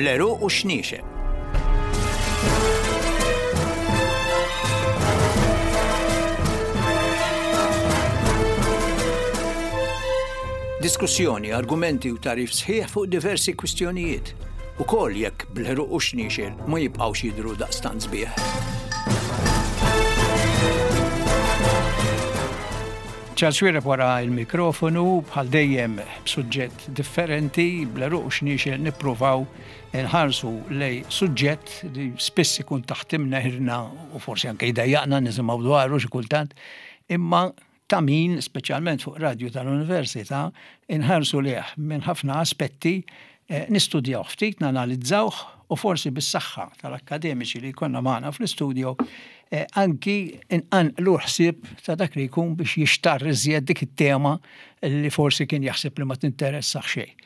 Bl-għeruq u x-xniexel. Diskussjoni, argumenti u tagħrif sħiħ fuq diversi kwistjonijiet, ukoll jekk bl-għeruq u x-xniexel ma jibqgħux jidhru daqstant sbieħ. Charles Xuereb wara l-mikrofonu, bħal dejjem b'suġġett differenti, bl-għeruq u x-xniexel nippruvaw nħarsu lej suġġett li spiss ikun taħt imneħirna u forsi anke jdejjaqna nisimgħu dwaru xi kultant, imma ta' min, speċjalment fuq radju tal-Università, inħarsu lejh minn ħafna aspetti, eh, nistudjawh ftit, nanalizzawh u forsi bis-saħħa tal-akkademiċi li jkollna magħna fl-istudio eh, anki inqanqlu ħsieb ta' dak li jkun biex jixtarr iżjed dik it-tema li forsi kien jaħseb li ma tinteressax xejn.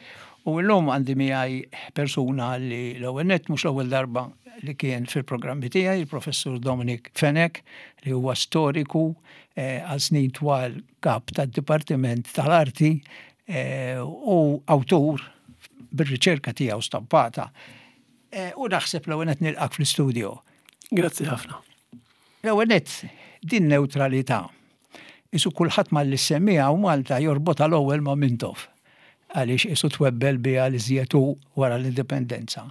U llum għandi miegħi persuna li l-ewwel nett mhux l-ewwel darba li kien fil-programmi tiegħi, il-Professur Dominic Fenech, li huwa storiku eh, għal snin twal kap tad-Dipartiment tal-Arti eh, u awtur bir-riċerka tiegħu stampata. Eh, u naħseb l-ewwel nett nilqak fl-istudio. Grazzi ħafna. L-ewwel nett din neutralità. Isu kulħadd malli ssemmiha u Malta jorbotha l-ewwel ma' Mintoff għaliex isu twebbel biha l-iżjed hu wara l-indipendenza.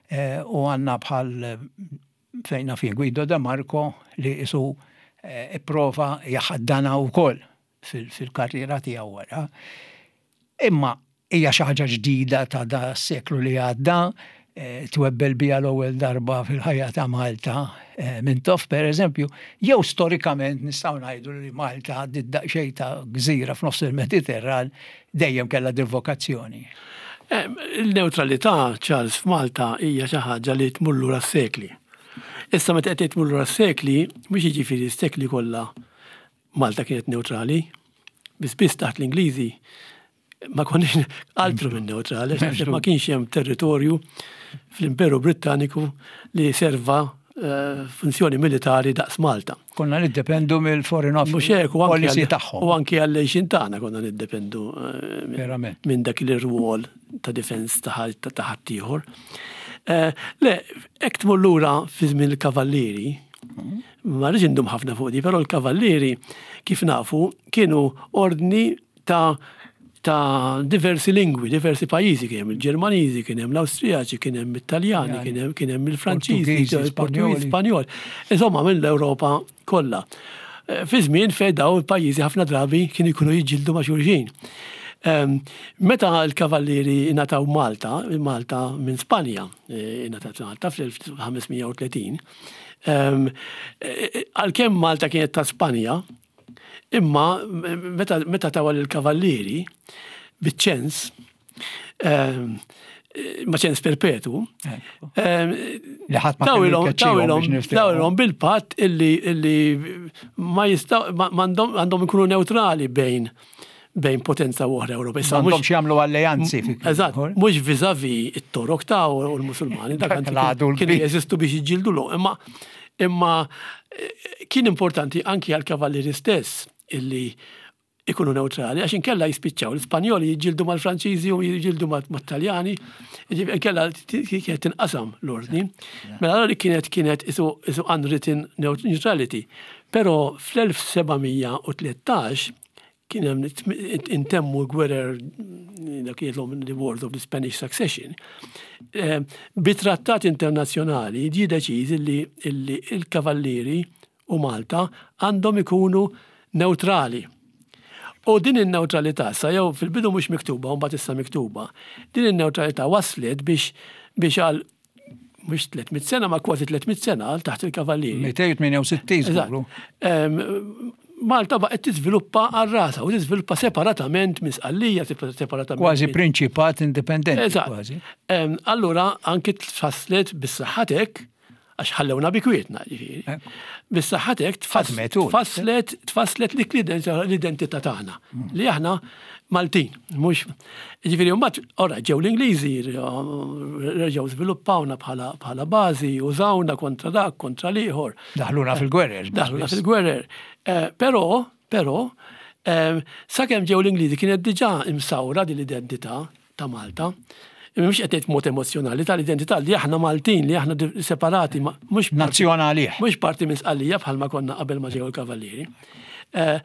Eh, u għandna bħal fejn naf jien Guido De Marco li isu eh, ipprova jaħaddana wkoll fil-karriera tiegħu wara. Imma hija xi ħaġa ġdida ta' da seklu li għadda, eh, twebbel biha l-ewwel darba fil-ħajja ta' Malta eh, Mintoff per eżempju, jew storikament nistgħu ngħidu li Malta għaddiet daqsxejn ta' gżira f'nofs il-Mediterran dejjem kellha din vokazzjoni. Eh, il-neutralità, Charles, f'Malta hija xi ħaġa li tmur lura s-sekli. Issa meta qed tmur lura s-sekli, mhux jiġifieri s-sekli kollha Malta kienet neutrali, biss biss taħt l-Ingliżi ma konniex altru minn neutrali, għax ma kienx hemm territorju fl-Imperu Brittaniku li serva eh, funzjoni militari daqs Malta. Konna niddependu mill-Foreign Office. Mhux hekk, u anki tagħhom. U anki għall-għejxin tagħna konna niddependu eh, minn dak il-rwol ta' difens ta' ħaddieħor. Eh, le, hekk tmur lura fi żmien il-kavallieri, Ma rridx indum ħafna fuq di, però l-kavallieri kif nafu kienu ordni ta' ta' diversi lingwi, diversi pajjiżi, kien hemm il-Ġermaniżi, kien hemm l-Awstrijaċi, kien hemm it-Taljani, kien hemm kien hemm il-Franċiżi, il-Portugiżi, Spanjol. Insomma, mill-Ewropa kollha. Eh, fi żmien fejn daw il-pajjiżi ħafna drabi kienu jkunu jiġġieldu ma' xulxin. Ehm, meta l-kavallieri ingħataw Malta, Malta minn Spanja, eh, ingħatat Malta fl-1530, Ehm, għalkemm Malta kienet ta' Spanja, imma meta tawa lill-kavallieri biċ-ċens, ehm, ma ċens perpetu, ehm, tawilhom bil-patt illi ma jistaw għandhom ikunu neutrali bejn bejn potenza u oħra Ewropea. Issa mhux jagħmlu alleanzi. Eżatt, mhux viżavi it-Torok ta' u l-Musulmani, dak kienu jeżistu biex jiġġieldu l imma imma eh, kien importanti anki għal-kavallieri stess illi ikunu neutrali, għax inkella jispiċċaw l-Ispanjoli jiġġieldu mal-Franċiżi u jiġġieldu mat-Taljani, inkella kienet tinqasam l-ordni. Mela allura kienet kienet isu unwritten neutrality. Però fl-1713 kien hemm intemmu l-gwerer dak jgħidlhom the Wars of the Spanish Succession, eh, bi trattat internazzjonali ġie deċiż li l-kavallieri u Malta għandhom ikunu neutrali. U din in-neutralità sa jew fil-bidu mhux miktuba u mbagħad issa miktuba, din in-neutralità waslet biex biex għal mhux 300 sena ma kważi 300 sena għal taħt il-kavallieri. 268 żguru. Malta baqgħet tiżviluppa għal rasa u tiżviluppa separatament minn Sqallija, separatament. Kważi prinċipat indipendenti. Kważi. Allura anki tfasslet bis-saħħatek għax ħallewna bi kwietna ġifieri. Eh. Bis-saħħatek tfasslet tfasslet l-identità tagħna mm. li aħna Maltin, mhux Jiġifieri mbagħad ora ġew l-Ingliżi reġgħu żviluppawna bħala bħala bażi, użawna kontra dak, kontra l-ieħor. Daħluna fil-gwerer. Daħluna fil-gwerer. Eh, però, però, eh, sakemm ġew l-Ingliżi kienet diġà imsawra din l-identità ta' Malta. Imma mhux qed ngħid mod emozzjonali tal-identità li aħna Maltin, li aħna separati, mhux nazzjonali. Mhux parti minn Sqallija bħalma konna qabel ma ġew il-Kavallieri. Eh,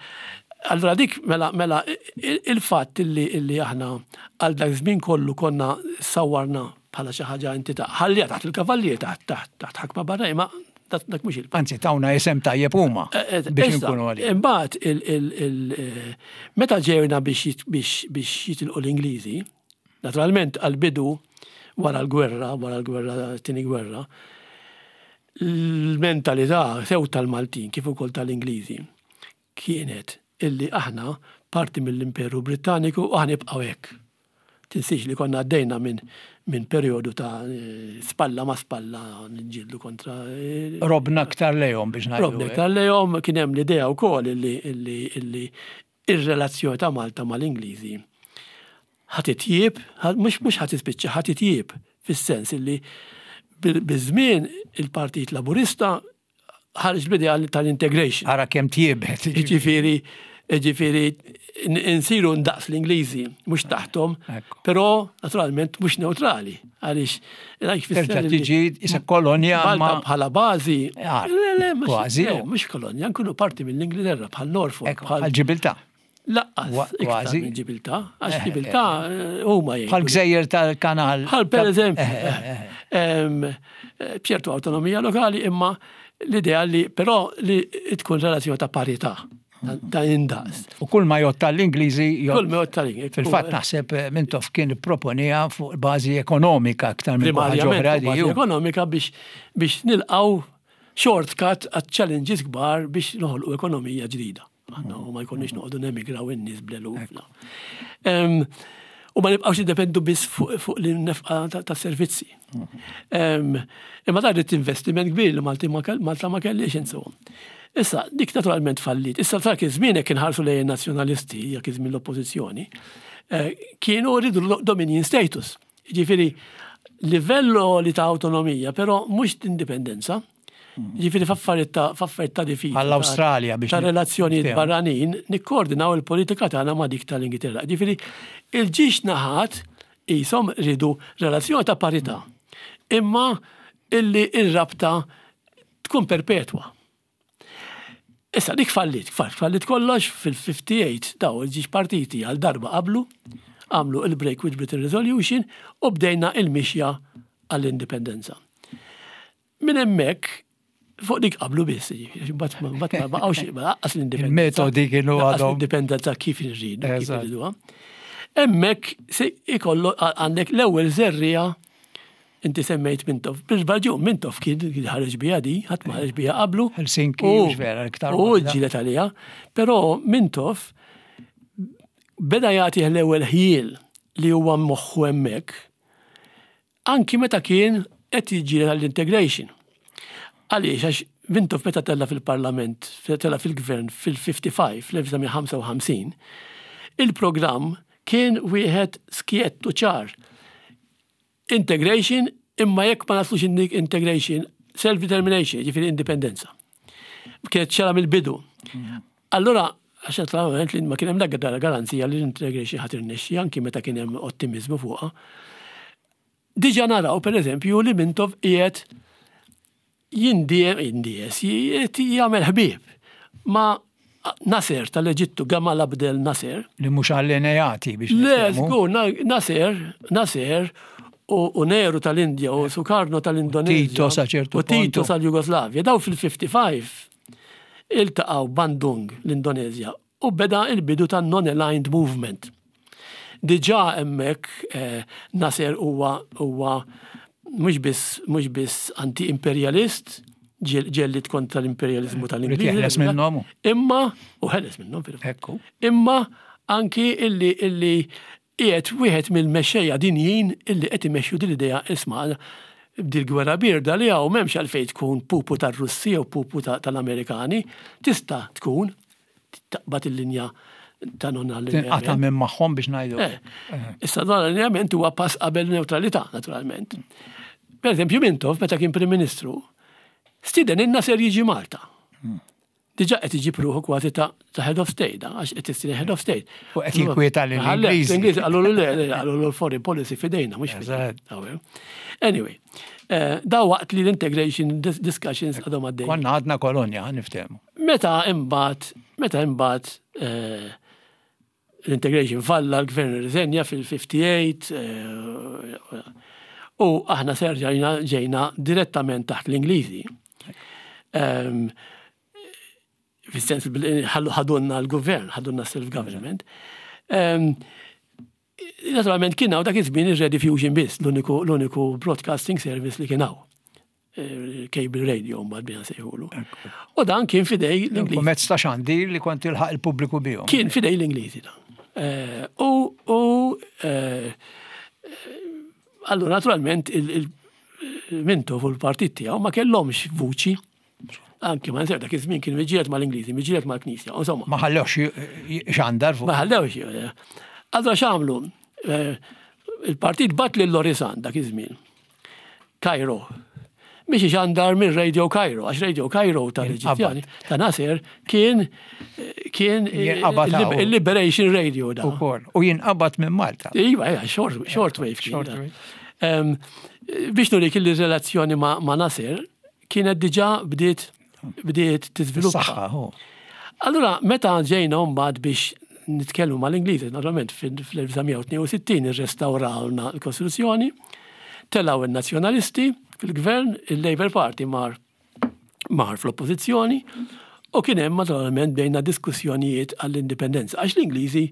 allura dik mela mela il-fatt illi illi aħna għal dak żmien kollu konna sawwarna bħala xi ħaġa entità ħallija taħt il-kavallier taħt taħt taħt ħakma barra imma dak mhux il. Anzi tawna isem tajjeb huma eh, eh, biex inkunu għalih. Imbagħad eh, meta ġejna biex biex jitilqu l-Ingliżi, naturalment għall-bidu wara l-gwerra, wara l-gwerra, tieni gwerra, l-mentalità sew tal-Maltin kif ukoll tal-Ingliżi kienet illi aħna parti mill-Imperu Brittaniku u aħna nibqgħu hekk. Tinsiex li konna għaddejna minn min perjodu ta' spalla ma' spalla niġġieldu kontra. Robna aktar lejhom biex ngħidu. Robna aktar lejhom, kien hemm l-idea wkoll illi illi illi ir-relazzjoni ta' Malta mal-Ingliżi ħa titjieb, mhux mhux ħa tispiċċa, ħa titjieb fis-sens illi biż-żmien il-Partit Laburista ħareġ b'idea tal-integration. Ara kemm tjiebet. Jiġifieri, jiġifieri insiru ndaqs l-Ingliżi, mhux taħthom, però naturalment mhux neutrali, għaliex Terġa' tiġi isa kolonja Malta bħala bażi. Kważi. Mhux kolonja, nkunu parti mill-Ingilterra bħal Norfolk. Bħal Ġibilta. Laqqas, kważi. Ġibilta, għax eh, Ġibilta eh, eh, huma jgħidu. Bħal gżejjer tal-kanal. Bħal per eżempju. B'ċertu autonomija lokali imma l-idea li però li tkun relazzjoni ta' parità ta' indaqs. U kull ma jgħod tal-Ingliżi. Kull ma jgħod tal-Ingliżi. Fil-fatt naħseb Mintoff kien ipproponija fuq bażi ekonomika aktar minn ħaġa oħra li. Ekonomika biex biex nilqgħu shortcut għat challenges kbar biex noħolqu ekonomija ġdida. Aħna u ma jkunniex noqogħdu nemigraw in-nies bl-eluf. U ma nibqgħux niddependu biss fuq l-nefqa ta' servizzi. Imma dan irid investiment kbir li Malti Malta ma kellix insomma. Issa, dik naturalment fallit. Issa dak iż-żmien jekk inħarsu lejn in-nazzjonalisti, jekk iż-żmien l-oppożizzjoni, eh, kienu rridu dominion status. Ġifieri livello li ta' autonomija, però mhux indipendenza. Ġifieri f'affarijiet ta' f'affarijiet ta' difiża. Bħall-Awstralja biex. Ta' relazzjonijiet barranin nikkoordinaw il-politika tagħna ma' dik tal-Ingilterra. Ġifieri il-ġiex naħat qishom riedu relazzjoni ta' parità. Imma illi r-rabta tkun perpetwa. Issa dik fallit, fallit kollox fil-58 daw il-ġiex partiti għal darba qablu, għamlu il-Break with Britain Resolution u bdejna il-mixja għall-indipendenza. Minn hemmhekk fuq dik qablu biss, jiġifieri, mbagħad mbagħad ma baqgħux laqqas l-indipendenza. Il-metodi kienu għadhom. L-indipendenza kif irridu, kif irriduha. Hemmhekk se ikollu għandek l-ewwel żerriegħa inti semmejt Mintoff. Bil-baġun Mintoff kien ħareġ biha di, ħadd ma ħareġ biha qablu. Helsinki, vera, iktar. U ġilet għaliha. Però Mintoff beda jagħti l-ewwel ħjiel li huwa moħħu hemmhekk Anki meta kien qed jiġġieled għall-integration. Għaliex? Għax Mintoff meta tella' fil-Parlament, tella' fil-Gvern fil-55, fl-1955, il-programm kien wieħed skjett u ċar. Integration imma jekk ma naslux integration, self-determination, jiġifieri indipendenza. Kienet ċara mill-bidu. Allura, għax naturalment li ma kien hemm l-ebda garanzija li l-integration ħa tirnexxi anki meta kien hemm ottimiżmu fuqha. Diġà naraw pereżempju li Mintoff qiegħed jindie jindies qiegħed jagħmel ħbieb ma' Nasser tal-Eġittu, Gamal Abdel Nasser. Li mhux allineati biex Le, żgur, Nasser, Nasser u Nehru tal-Indja u Sukarno tal-Indonezja. Tito sa ċertu U Tito sal-Jugoslavja. Daw fil-55 iltaqgħu Bandung, l-Indonezja, u beda l-bidu tan-Non-Aligned Movement. Diġà hemmhekk Nasser huwa huwa mhux biss mhux biss anti-imperjalist, ġellied kontra l-imperjaliżmu tal-Ingliżi. Ried jeħles minnhom. Imma, u ħeles minnhom fil-fatt. Ekku. Imma anki illi illi Qiegħed wieħed mill-mexxejja dinjin illi qed imexxu din l-idea isma' b'dil-gwerra bierda li hawn m'hemmx għalfejn tkun pupu tar-Russi jew pupu tal-Amerikani, tista' tkun taqbad il-linja ta' non-allineament. Tinqata' minn magħhom biex ngħidu. Eh. Issa non-allineament huwa pass qabel neutralità, naturalment. Per eżempju, Mintoff, meta kien Prim Ministru, stieden in-Nasser jiġi Malta. Hmm. Diġà qed iġib ruħu kważi ta' head of state, għax qed issir head of state. U qed jinkwieta lil Ingliżi. L-Ingliżi qallu le, qallu l-foreign policy fidejna, mhux fidejna. Anyway, eh, da waqt li l-integration discussions għadhom għaddej. Konna għadna kolonja, niftehmu. Meta imbagħad, meta imbagħad eh, l-integration falla, l-gvern irriżenja fil-58 eh, u aħna serġajna ġejna direttament taħt l-Ingliżi. Ehm, fis-sens ħadunna l-gvern, ħadunna self-government. Ehm, naturalment kien hawn dak iż-żmien ir-Rediffusion biss, l-uniku broadcasting service li kien hawn. Eh, cable radio mbagħad bina sejħulu. U dan kien fidej l-Ingliżi. Mezz ta' xandir li kont tilħaq il-pubbliku bihom. Kien fidej l-Ingliżi dan. Eh, u eh, allura naturalment il-Mintoff u l-partit tiegħu ma kellhomx vuċi. Anki ma nsir dak iż-żmien kien miġiet mal-Ingliżi, miġiet mal-Knisja, insomma. Ma ħallewx xandar fuq. Ma ħallewx. Allura x'għamlu? Il-partit bat lil Lorisan dak iż-żmien. Cairo. Biex ixandar minn Radio Cairo, għax Radio Cairo tal-Eġizzjani, ta' Nasser, kien kien il-Liberation Radio da. U jinqabad minn Malta. Iva, iva, short, short wave kien. Biex nurik il-relazzjoni ma' Nasser, kienet diġa bdiet bdiet tiżviluppa. Allura, meta ġejna mbagħad biex nitkellmu mal-Ingliżi, naturalment fl-1962 irrestawrawlna l-Kostituzzjoni, telgħu n-Nazzjonalisti fil-Gvern, il-Labour Party mar mar fl-Oppożizzjoni u kien hemm naturalment bdejna diskussjonijiet għall-indipendenza għax l-Ingliżi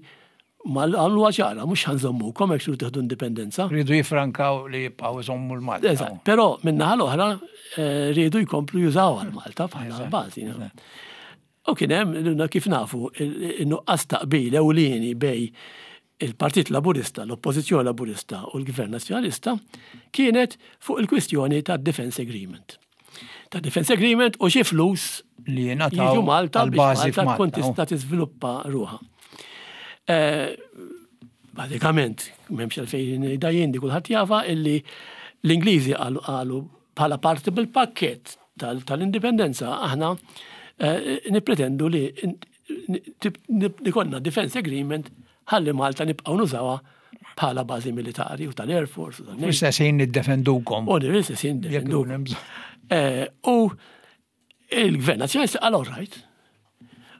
Mal għamluha ċara, mhux ħa nżommukom hekk tridu tieħdu indipendenza. Riedu jiffrankaw li jibqgħu jżommu l-Malta. Eżatt, però min-naħa l-oħra eh, riedu jkomplu jużaw għal Malta bħala bażi. U kien hemm kif nafu in-nuqqas ta' qbil ewlieni bej il-Partit Laburista, l-Oppożizzjoni Laburista u l-Gvern Nazzjonalista kienet fuq il-kwistjoni ta' Defense Agreement. Ta' Defense Agreement u xi flus li jingħataw Malta biex Malta tkun tista' tiżviluppa ruħha. Eh, bażikament, m'hemmx għalfejn dajjin di kulħadd jafa illi l-Ingliżi qalu bħala parti bil-pakkett tal-indipendenza aħna eh, nippretendu li nikonna defense agreement ħalli Malta nibqgħu nużawha bħala bażi militari u tal-Air Force. Fl-istess ħin niddefendukom. U fl-istess ħin niddefendukom. Eh, u il-Gvern Nazzjonalista qal all right.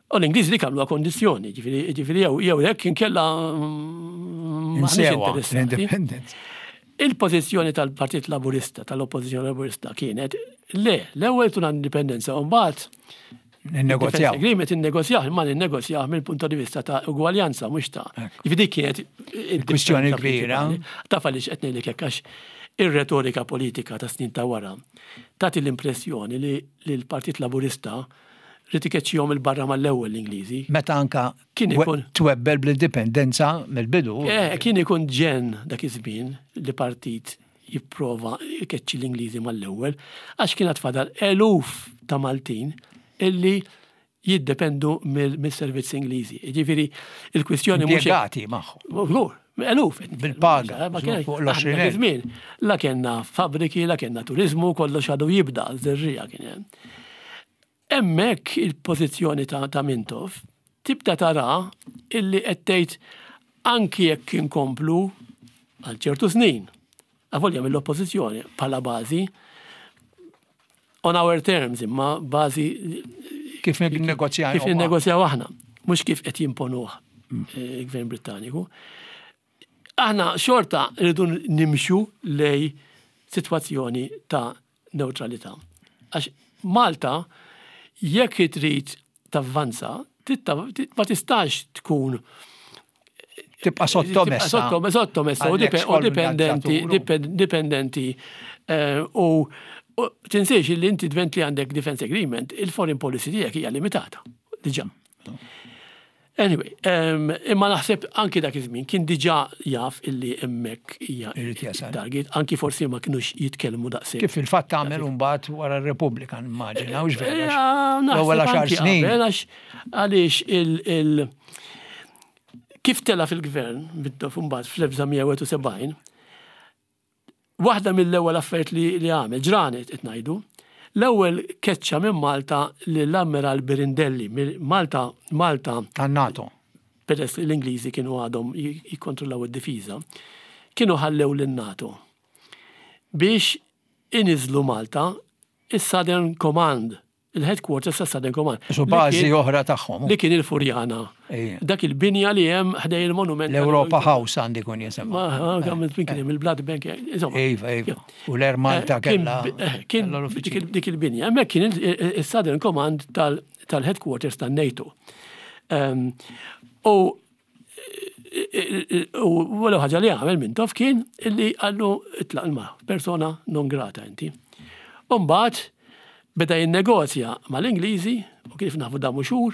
U l-Ingliżi li kamlu kondizjoni, ġifieri jew jew hekk inkella mm, l-independence. Il-pożizzjoni tal-Partit Laburista, tal-Oppożizzjoni Laburista kienet le, l-ewwel tuna indipendenza u mbagħad Ninnegozjaw. Agreement innegozjaw, imma ninnegozjaw mill-punt di vista ta' ugwaljanza mhux ta' Jiġifieri dik kienet kwistjoni kbira. Taf għaliex qed ngħidlek hekk għax ir-retorika politika ta' snin ta' wara tagħti l-impressjoni li l-Partit Laburista ried ikeċċihom il barra mal-ewwel l-Ingliżi. Meta anka kien ikun twebbel bl-indipendenza mill-bidu. Eh, kien ikun ġen dak iż-żmien li partit jipprova jkeċċi l-Ingliżi mal-ewwel, għax kien għad fadal eluf ta' Maltin illi jiddependu mill-servizzi Ingliżi. Jiġifieri il-kwistjoni mhux. Impjegati magħhom. Żgur, eluf. Bil-paga. Ma kien fuq l-20 żmien. La kellna fabbriki, la kellna turiżmu, kollox għadu jibda, żerriegħa kien hemm. Hemmhekk il-pożizzjoni ta' ta' Mintoff tibda tara illi qed tgħid anki jekk inkomplu għal ċertu snin, avolja mill-oppożizzjoni bħala bażi, on our terms imma bażi kif ninnegozjaw kif ninnegozjaw aħna, mhux kif qed jimponuh eh, il-Gvern Brittaniku. Aħna xorta rridu nimxu lej sitwazzjoni ta' newtralità. Għax Malta jekk trid tavvanza, ma tistax tkun tibqa' sottomessa. Sottomessa u dipendenti, dipendenti eh, u tinsiex li inti dvent li għandek defense agreement, il-foreign policy tiegħek hija limitata. Diġà. Anyway, imma naħseb anki dak iż-żmien kien diġà jaf illi hemmhekk hija target, anki forsi ma kinux jitkellmu daqshekk. Kif fil-fatt għamel imbagħad wara r-Repubblika nimmaġina, hux vera? L-ewwel għaxar snin. Għaliex il kif tela' fil-gvern bidda mbagħad fl-1971, Waħda mill-ewwel affarijiet li għamel, ġranet qed ngħidu, L-ewwel keċċa minn Malta lill-Ammiral Birindelli. Malta, Malta. Tan-NATO. Peress li l-Ingliżi kienu għadhom jikkontrollaw id-difiża, kienu ħallew lin-NATO biex iniżlu Malta is-Southern Command il-headquarters ta' Southern Command. Su bażi oħra tagħhom. Li kien il-Furjana. Dak il-binja li hemm ħdej il-monument. L-Europa House għandi kun jisimha. Ma għamilt minn kien hemm il-Blood Bank. Iva, iva. U l-Air Malta eh, kellha. Eh, kien dik il-binja. Hemmhekk kien il-Southern Command tal-headquarters tan-NATO. Ehm, u U l ħaġa li għamel Mintoff kien illi għallu itlaq ma persona non grata inti. Umbagħad beda jinnegozja mal-Ingliżi u kif nafu damu xhur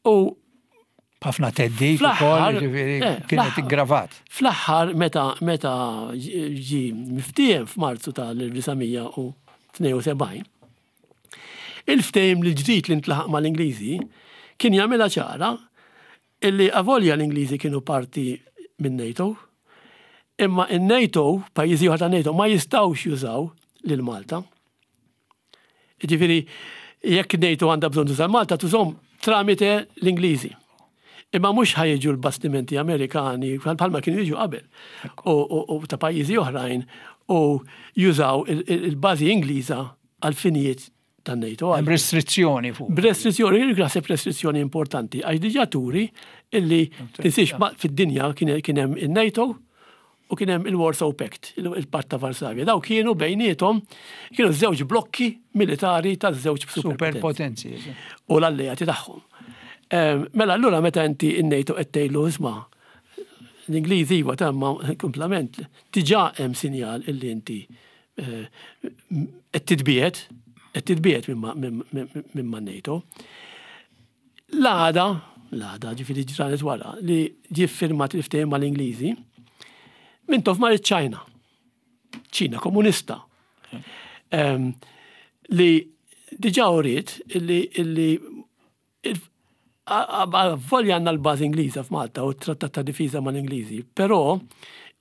u ħafna teddid ukoll, ġifieri eh, kienet iggravat. Fl-aħħar meta meta ġi miftiehem f'Marzu tal-1972 Il-ftehim l-ġdid li ntlaħaq mal-Ingliżi kien jagħmilha ċara illi avolja l-Ingliżi kienu parti minn NATO, imma in-NATO, pajjiżi oħra tan-NATO ma jistgħux jużaw lil Malta. Jiġifieri jekk NATO għandha bżonn tuża Malta tużhom tramite l-Ingliżi. Imma mhux ħa jiġu l-bastimenti Amerikani bħalma kienu jiġu qabel u ta' pajjiżi oħrajn u jużaw il-bażi Ingliża għal finijiet tan-NATO. Hemm restrizzjoni fuq. B'restrizzjoni, naħseb restrizzjoni importanti għax diġà turi illi tinsiex fid-dinja kien hemm in-NATO u kien hemm il-Warsaw Pact, il-Patt ta' Varsavja. Daw kienu bejniethom kienu żewġ blokki militari ta' żewġ superpotenzi. U l-alleati tagħhom. Ehm, mela allura meta inti in-NATO qed tgħidlu isma' l-Ingliżi iva tamma kumplament diġà hemm sinjal illi inti eh, qed titbiegħed qed titbiegħed minn ma' NATO. L-għada, l-għada, ġifieri ġranet wara, li ġie ffirmat il-ftehim mal-Ingliżi, Mintoff mar iċ-Ċajna. Ċina komunista. Ehm, li diġa uriet illi illi volja għandna l-bażi Ingliża f'Malta u t-trattat ta' difiża mal-Ingliżi, però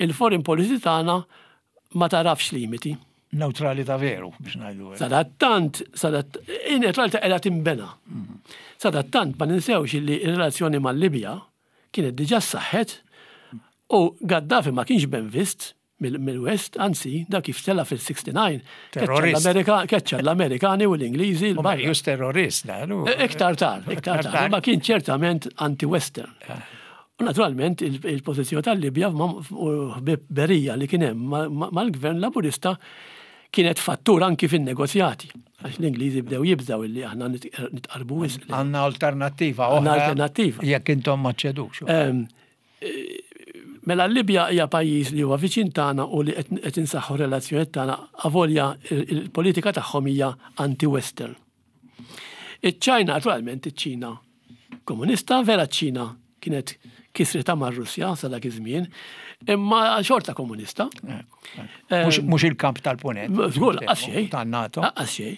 il-foreign policy tagħna ma tarafx limiti. Newtralità veru biex ngħidu hekk. Sadattant, sadat, in-newtralità qiegħda tinbena. Sadattant ma ninsewx li r-relazzjoni mal-Libja kienet diġà ssaħħet u Gaddafi ma kienx ben vist mill-West, anzi, dak kif tela' fil-69, keċċa l-Amerikani u l-Ingliżi. U Marius terrorist, da. Iktar tard, iktar tard, ma kien ċertament anti-Western. U naturalment il-pożizzjoni tal-Libja u ħbib-berija li kien hemm mal-gvern Laburista kienet fattur anki fin-negozjati. Għax l-Ingliżi bdew jibżgħu illi aħna nitqarbu wisq. Għandna alternattiva oħra. Għandna alternattiva. Jekk intom ma ċedux. Ehm, mela l-Libja hija pajjiż li huwa viċin tagħna u li qed insaħħu relazzjonijiet tagħna avolja il-politika tagħhom hija anti-Western. Iċ-Ċajna, naturalment, iċ-Ċina komunista, vera ċ-Ċina kienet kisrita mar-Russja sa dak iż-żmien, imma xorta komunista. Mhux il-kamp tal-punent. Żgur, lanqas xejn. Tan-NATO. Lanqas xejn.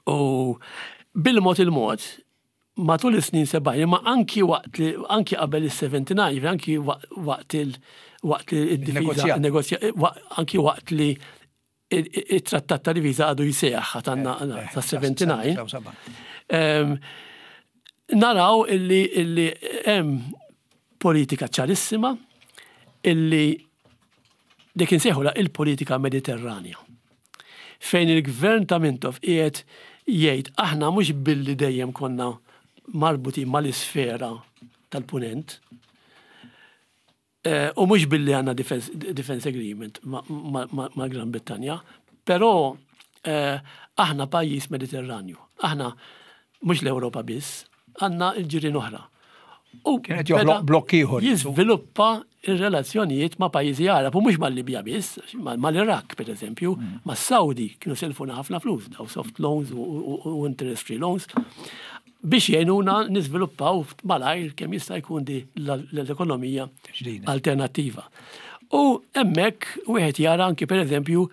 U bil-mod il-mod, matul is-snin 70, imma anki waqt li anki qabel is-79, anki waqt il waqt li d-difiża anki waqt li it-trattat ta' diviża għadu jseħħ għad għandna eh, eh, ta' 79. Ehm, naraw illi illi hemm politika ċarissima illi dik insejħula il-politika mediterranja. Fejn il-gvern ta' Mintoff qiegħed jgħid aħna mhux billi dejjem konna marbutin mal-isfera tal-punent, U mhux billi għandna defense agreement ma' Gran Brittanja, però aħna pajjiż Mediterranju. Aħna mhux l-Ewropa biss, għandna l-ġirien oħra. U kienet joħloq blokk ieħor. Jiżviluppa r-relazzjonijiet ma' pajjiżi Għarab u mhux mal-Libja biss, mal-Iraq pereżempju, mas-Sawdi kienu selfuna ħafna flus, daw soft loans u interest free loans. biex jgħinuna niżviluppaw malajr kemm jista' jkun di l-ekonomija alternattiva. U hemmhekk wieħed jara anki pereżempju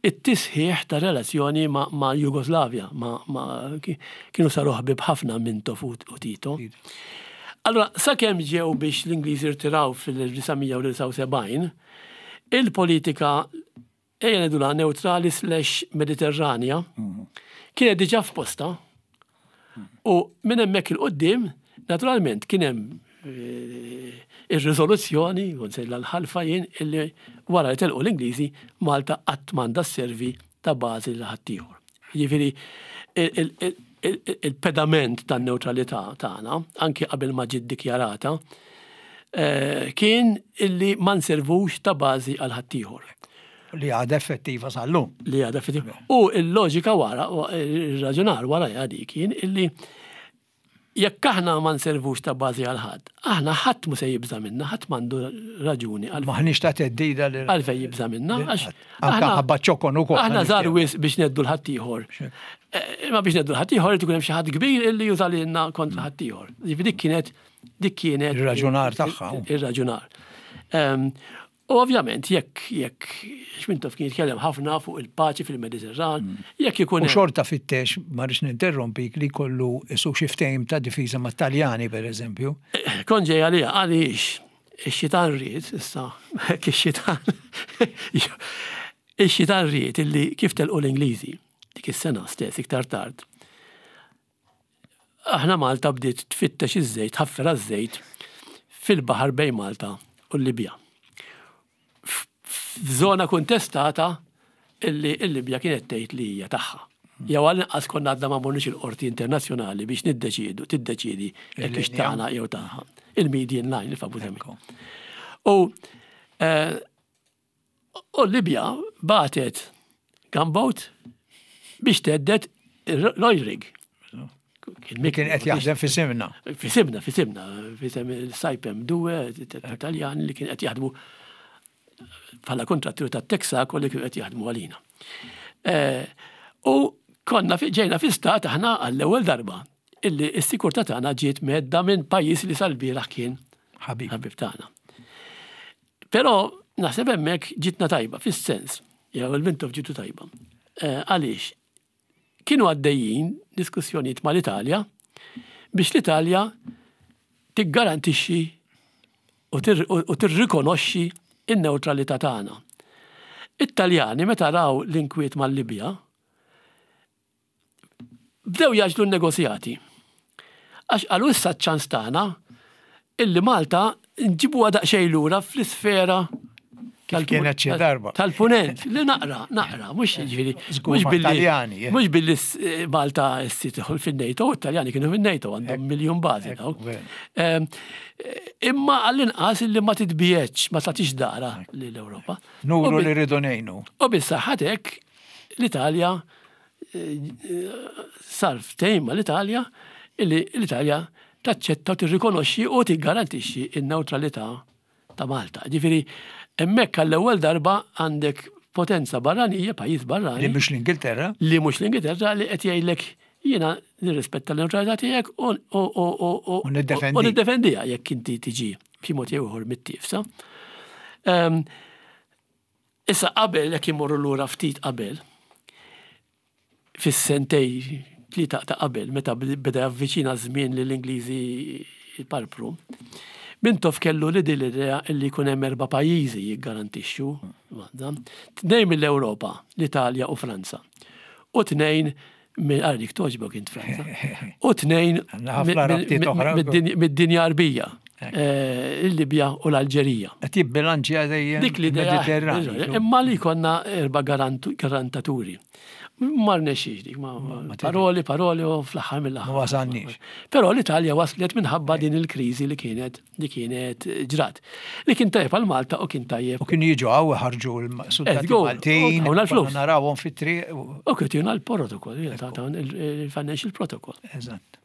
it-tisħiħ ta' relazzjoni ma' Jugoslavja, ma' kienu saru ħbieb ħafna Mintoff u Tito. Allura, sakemm ġew biex l-Ingliżi rtiraw fil-1979, il-politika ejja ngħidulha newtrali slash Mediterranja, kienet diġà f'postha u minn hemmhekk 'il quddiem, naturalment kien hemm eh, ir-riżoluzzjoni, u nsejla l-ħalfa jien, illi wara li telqu l-Ingliżi, Malta qatt m'għandha sservi ta' bażi lil ħaddieħor. Jiġifieri il-pedament tan-newtralità tagħna, anki qabel ma ġiet dikjarata, eh, kien illi ma nservux ta' bażi għal ħaddieħor. Li għadha effettiva sal-lum. Li għadha effettiva. U l-loġika wara, il-raġunar wara dik kien illi Jekk aħna ma nservux ta' bażi għal ħadd, aħna ħadd mhu se jibża' minna, ħadd m'għandu raġuni għal. M'aħniex ta' theddida lil. Għalfejn jibża' minna, għax. Anke ħabba ċ-ċokon ukoll. Aħna żgħar wisq biex ngħeddu 'l ħaddieħor. Imma biex ngħeddu 'l ħaddieħor irid ikun hemm xi ħadd kbir illi juża lilna kontra ħaddieħor. Jiġifieri dik kienet dik kienet. Ir-raġunar tagħha. Ir-raġunar. U ovvjament jekk jekk Xmintoff kien jitkellem ħafna fuq il-paċi fil-Mediterran, mm. jekk ikun. U xorta fittex, ma rridx ninterrompik li kollu isu xi ftehim ta' difiża mat-Taljani pereżempju. Eh, kon ġej għalija għaliex ix-xitan ried issa, ix-xitan ix-xitan ried illi kif telqu l-Ingliżi dik is-sena stess iktar tard. Aħna Malta bdiet tfittex iż-żejt, tħaffer għaż-żejt fil-baħar bejn Malta u l-Libja. F'żona kontestata illi l-Libja kienet tgħid li hija tagħha. Jew għall-inqas konna għadna ma morniex il-qorti internazzjonali biex niddeċiedu, tiddeċiedi jekk hix tagħna jew tagħha. Il-median line, il-famuża. U eh, U l-Libja bagħtet gunboat biex thedded l-oil rig. Kien qed jaħdem fi simna. Fi simna, fi simna, fi sem il-Saipem Due, Taljan li kien qed jaħdmu bħala kontratturi ta' Texaco li kien qed jaħdmu għalina. Eh, u konna ġejna fi stat aħna għall-ewwel darba illi s-sikurtà tagħna ġiet medda minn pajjiż li sal-bieraħ kien ħabib tagħna. Però naħseb hemmhekk ġitna tajba fis-sens, jew il-Mintoff ġitu tajba. Eh, għaliex? Kienu għaddejjin diskussjonijiet mal-Italja biex l-Italja tiggarantixxi u tirrikonoxxi n-newtralità tagħna. It-Taljani meta raw l-inkwiet mal-Libja, Bdew jgħaġġlu n-negozjati. Għax qalu issa ċ-ċans tagħna illi Malta nġibuha daqsxejn lura fl-isfera kienet xi darba. Tal-punent, li naqra, naqra, mhux ġifieri. Mhux billi eh. Mhux billi eh, Malta issa tidħol fin-NATO, it-Taljani kienu fin-NATO għandhom miljun bażi dawk. Ehm, imma għall-inqas illi ma titbietx, ma tagħtix dara lill-Ewropa. Nuru li rridu ngħinu. U bis-saħħa l-Italja sar ftehim mal-Italja illi l-Italja taċċetta u tirrikonoxxi u tiggarantixxi n-newtralità ta' Malta. Ġifieri hemmhekk għall-ewwel darba għandek potenza barranija, pajjiż barrani. Li mhux l-Ingilterra. Li mhux l-Ingilterra li qed jgħidlek jiena nirrispetta l-newtralità tiegħek u niddefendiha jekk inti tiġi b'xi mod jew ieħor mittiefsa. Ehm, Issa qabel, jekk immorru lura ftit qabel, fis-sentej tlieta ta' qabel, meta beda javviċina ż-żmien li l-Ingliżi jparpru, Mintoff kellu li din l-idea li jkun hemm erba' pajjiżi jiggarantixxu Malta. Tnejn mill-Ewropa, l-Italja u Franza. U tnejn Għara dik toġbok int Franza. U tnejn mid-dinja Arbija, eh, il-Libja u l-Alġerija. Qed jibbilanċja dejjem dik li Mediterran. Imma li konna erba' garantaturi. Ma rnexxiex dik, paroli, paroli u fl-aħħar mill-aħħar. Ma wasalniex. Però l-Italja waslet minħabba din il-kriżi li kienet li kienet ġrat. Li kien tajjeb għal Malta u kien tajjeb. U kienu jiġu għaw ħarġu l-soldati Maltin. U l-flus. Narawhom fit-triq. U kienu jtuna l-protokoll, il-financial protocol. Eżatt.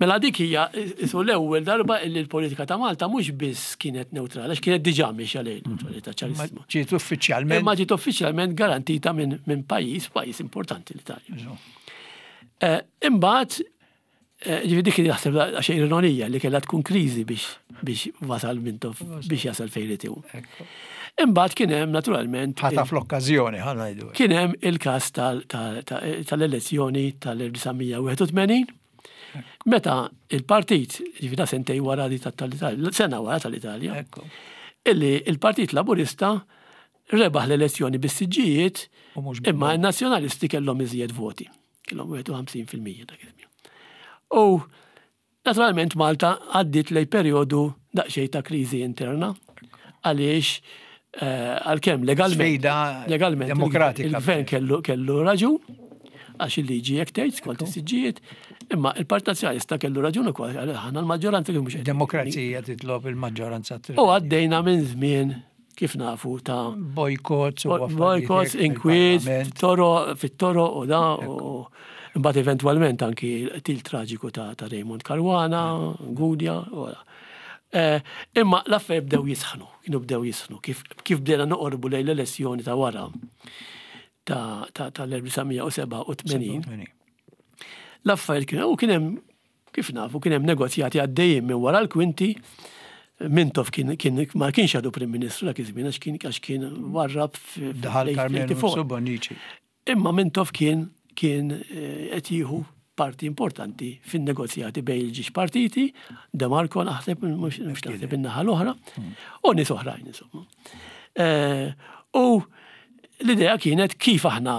Mela dik hija isu l-ewwel darba li l-politika ta' Malta mhux biss kienet neutrali, għax kienet diġà mixja lejn neutralità ċarissima. Ġiet uffiċjalment. Imma ġiet uffiċjalment garantita minn pajjiż, pajjiż importanti l-Italja. Eh, imbagħad Eh, ġifieri dik naħseb xejn ironija li kellha tkun kriżi biex biex wasal Mintoff biex jasal fejn irid hu. Imbagħad kien hemm naturalment. Ħata fl-okkażjoni ħa ngħidu. Kien hemm il-każ tal-elezzjoni tal-1981 meta il-partit, ġifieri ta' sentej wara li tal-Italja, sena wara tal-Italja, illi il-Partit Laburista rebaħ l-elezzjoni bis-siġġijiet, imma n-Nazzjonalisti kellhom iżjed voti. Kellhom 51% dak iż-żmien. U naturalment Malta għaddiet lejn perjodu daqsxejn ta' kriżi interna għaliex eh, għalkemm legalment legalment demokratika il-gvern kellu kellu raġun għax il-liġi jekk tgħid skont is-siġġijiet, imma il-Partit Nazzjonalista kellu raġun ukoll għal aħna l-maġġoranza kien mhux Demokrazija titlob il-maġġoranza. U għaddejna minn żmien kif nafu ta' boycotts u boycotts, inkwiet, toro, fit-toro u da u mbagħad eventwalment anki til traġiku ta', ta Raymond Caruana, Gudja, u da. Eh, imma l-affarijiet bdew jisħnu, kienu bdew jisħnu, kif, kif bdejna noqorbu lejn l-elezzjoni ta' wara ta' tal-1987. L-affarijiet kienu u kien hemm Kif nafu, kien hemm negozjati għaddejjin minn wara l-kwinti. Mintoff kien, kien ma kienx għadu Prim Ministru dak iż-żmien għax kien għax kien warrab Daħal Karmenu Bonnici. Imma Mintoff kien kien eh, qed jieħu parti importanti fin-negozjati bejn il-ġiex partiti, De Marco naħseb mhux naħseb in-naħa l-oħra, hmm. u nies oħrajn insomma. Eh, u l-idea kienet kif aħna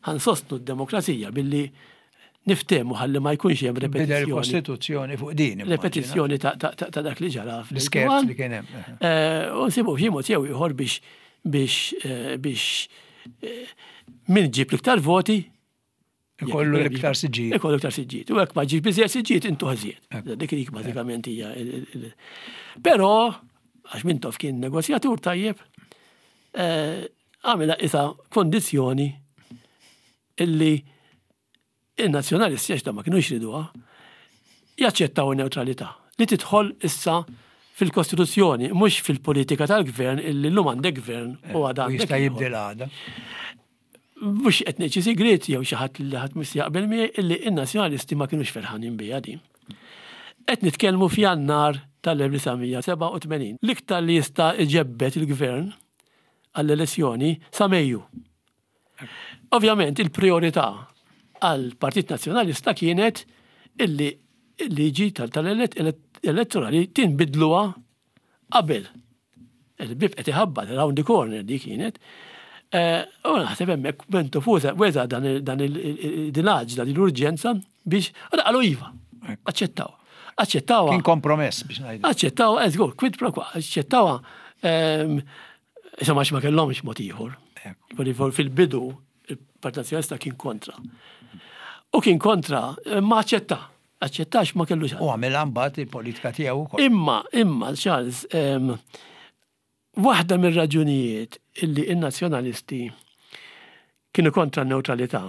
ħansostnu d-demokrazija billi niftehmu ħalli ma jkunx hemm repetizzjoni. Il-Kostituzzjoni fuq din. Repetizzjoni ta' dak li ġara fl-iskerz li kien hemm. Eh, u nsibu xi mod jew ieħor biex biex eh, biex eh, min ġib l-iktar voti Ikollu l-iktar siġġijiet. Ikollu l-iktar siġġijiet. U hekk ma ġib biżjed siġġijiet intu ħżiet. Dik dik bażikament hija. Però għax Mintoff kien negozjatur tajjeb, għamilha isa kondizzjoni illi in-Nazzjonalisti għax ma kinux jriduha, jaċċettaw in-newtralità li tidħol issa fil-Kostituzzjoni, mhux fil-politika tal-gvern illi llum għandek gvern u għada għandek. Jista' jibdel għada. Mhux qed ngħid xi sigriet jew xi ħadd li ħadd mhux jaqbel miegħi illi n-Nazzjonalisti ma kinux ferħanin biha din. Qed nitkellmu f'Jannar tal-1987. L-iktar li jista' iġebbed il-gvern għall-elezzjoni sa Mejju. Ovvjament il-priorità għall-Partit Nazzjonalista kienet illi il-liġi tal-elettorali tinbidluha qabel. Il-bib qed iħabbat round the corner di kienet. Eh, u naħseb hemmhekk Bento Fusa weza dan il-għaġla, din l-urġenza biex qalu iva, aċċettaw. Aċċettaw. Kien kompromess biex ngħidu. Aċċettaw, eżgur, quid pro quo, aċċettawha ehm, Insomma, għax ma kellhomx mod ieħor. Fil-bidu, il-Partit Nazzjonalista kien kontra. U kien kontra, ma aċċetta. Aċċettax ma kellux. U għamilha mbagħad il-politika tiegħu wkoll. Imma, imma, Charles, waħda mir-raġunijiet illi n-nazzjonalisti kienu kontra n-newtralità,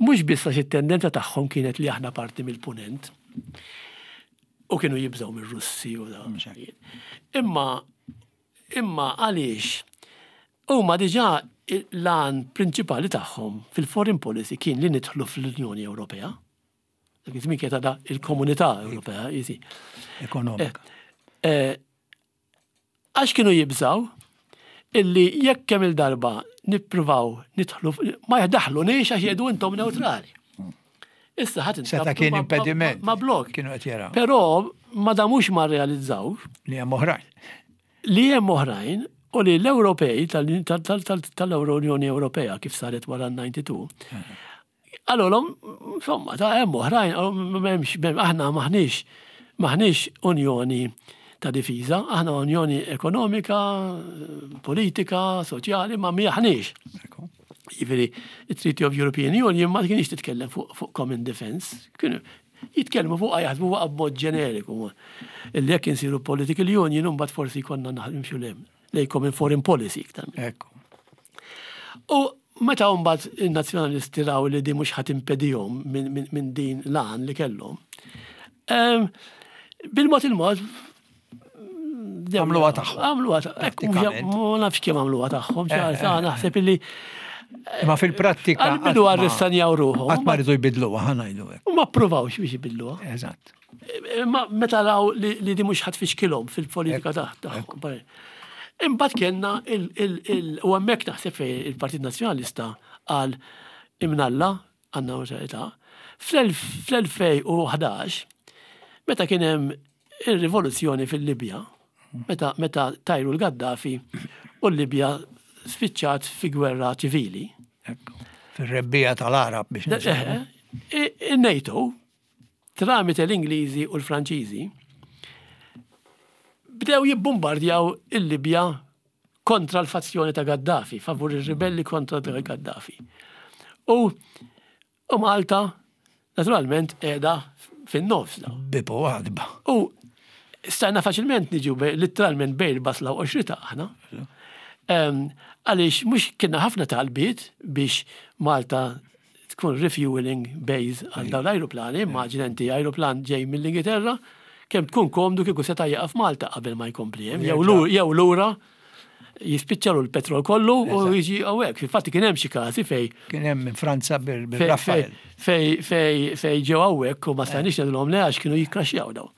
mhux biss għax it-tendenza tagħhom kienet li aħna parti mill-punent, u kienu jibżgħu mir-Russi u da. Imma Imma għaliex huma diġà l-għan prinċipali tagħhom fil-foreign policy kien li nidħlu fl-Unjoni Ewropea. Dak iż-żmien kienet għadha il-Komunità Ewropea, jisi. Ekonomika. Eh, eh, għax kienu jibżaw illi jekk kemm il-darba nippruvaw nidħlu ma jdaħlu niex għax jgħidu intom neutrali. Issa ħadd Seta kien impediment. Ma blok. Kienu qed jaraw. Però ma damux ma rrealizzaw. Li hemm oħrajn. Li hemm oħrajn u li l-Ewropej tal-Unjoni Ewropea kif saret wara l-92. Għalolhom, insomma, ta' hemm oħrajn, m'hemmx, aħna maħniex maħniex unjoni ta' difiża, aħna unjoni ekonomika, politika, soċjali, ma miħniex. Jiġifieri, it-Treaty of European Union ma kienx titkellem fuq common defense, kienu jitkellmu fuq jaħsbu fuq b'mod ġeneriku. Illi jekk insiru political union imbagħad forsi jkollna nimxu lem lej common foreign policy iktar. Ekku. U meta mbagħad in-nazzjonalisti raw li di mhux ħadd impedihom minn din l-għan li kellhom. Ehm, bil-mod il-mod Għamluha tagħhom. Għamluha tagħhom. Ma nafx kemm għamluha tagħhom, eh, eh, eh. naħseb illi. Ma fil-prattika. Għal-bidu għarristanjaw ruħhom. Qatt ma rridu jbidluha, ħa ngħidu hekk. U ma ppruvawx biex jbidluha. Eżatt. Ma meta raw li di mhux ħadd fixkilhom fil-politika tagħhom. Imbagħad kellna il u hemmhekk naħseb fejn il-Partit Nazzjonalista qal imnalla għan-newtralità. Fl-2011, meta kien hemm ir-rivoluzzjoni fil-Libja, meta meta tajru l-Gaddafi u l-Libja spiċċat fi gwerra ċivili. Fir-rebbiegħa tal-Għarab biex. Eh, eh, Il-NATO, tramite l-Ingliżi u l-Franċiżi, bdew jibbombardjaw il-Libja kontra l-fazzjoni ta' Gaddafi, favur ir-ribelli kontra Gaddafi. U U Malta, naturalment, qiegħda fin-nofs. Bieb u għatba. U stajna faċilment niġu litteralment bejn il-basla u qoxrita aħna. Għaliex mhux kienna ħafna talbiet biex Malta tkun refueling base għal dawn l-ajruplani, immaġina inti ajruplan ġej mill-Ingilterra, kemm tkun komdu kieku seta' jieqaf Malta qabel ma jkompli hemm, jew lura jispiċċalu l-petrol kollu u jiġi hawnhekk. Fil-fatt kien hemm xi każi fej. Kien hemm minn Franza bil-Rafale. Fej fej fej ġew hawnhekk u ma stajniex ngħidulhom le għax kienu jikkraxxjaw daw.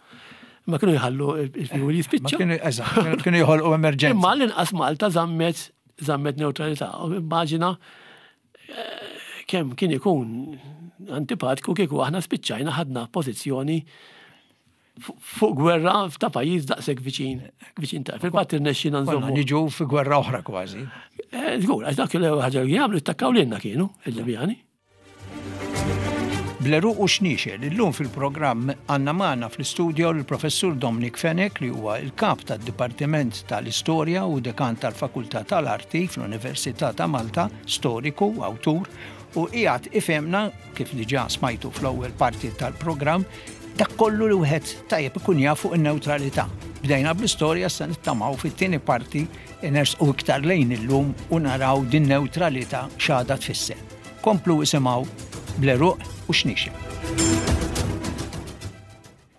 Ma kienu jħallu il-fuel jispiċċa. Kienu eżatt, kienu jħolqu emerġenza. Imma l-inqas Malta żammet żammet neutralità. Immaġina eh, kemm kien ikun antipatku kieku aħna spiċċajna ħadna pożizzjoni fuq gwerra ta' pajjiż daqshekk viċin viċin ta' fil-fatt irnexxina nżommu. Niġu fi gwerra oħra kważi. Eh, żgur, għax dak li ħaġa li jagħmlu jittakkaw lilna kienu il-Libjani. Bl-għeruq u xniexel, illum fil-programm għandna magħna fl-istudio l-Professur Dominic Fenech li huwa l-Kap tad-Dipartiment tal-Istorja u Dekan tal-Fakultà tal-Arti fl-Università ta' Malta, storiku, awtur, u qiegħed ifhemna kif diġà smajtu fl-ewwel parti tal-programm, dak kollu li wieħed tajjeb ikun jaf fuq in-newtralità. Bdejna bl-istorja issa nittamaw fit-tieni parti nersqu iktar lejn illum u naraw din newtralità x'għadha tfisser. Komplu isimgħu bl-għeruq u xniexel.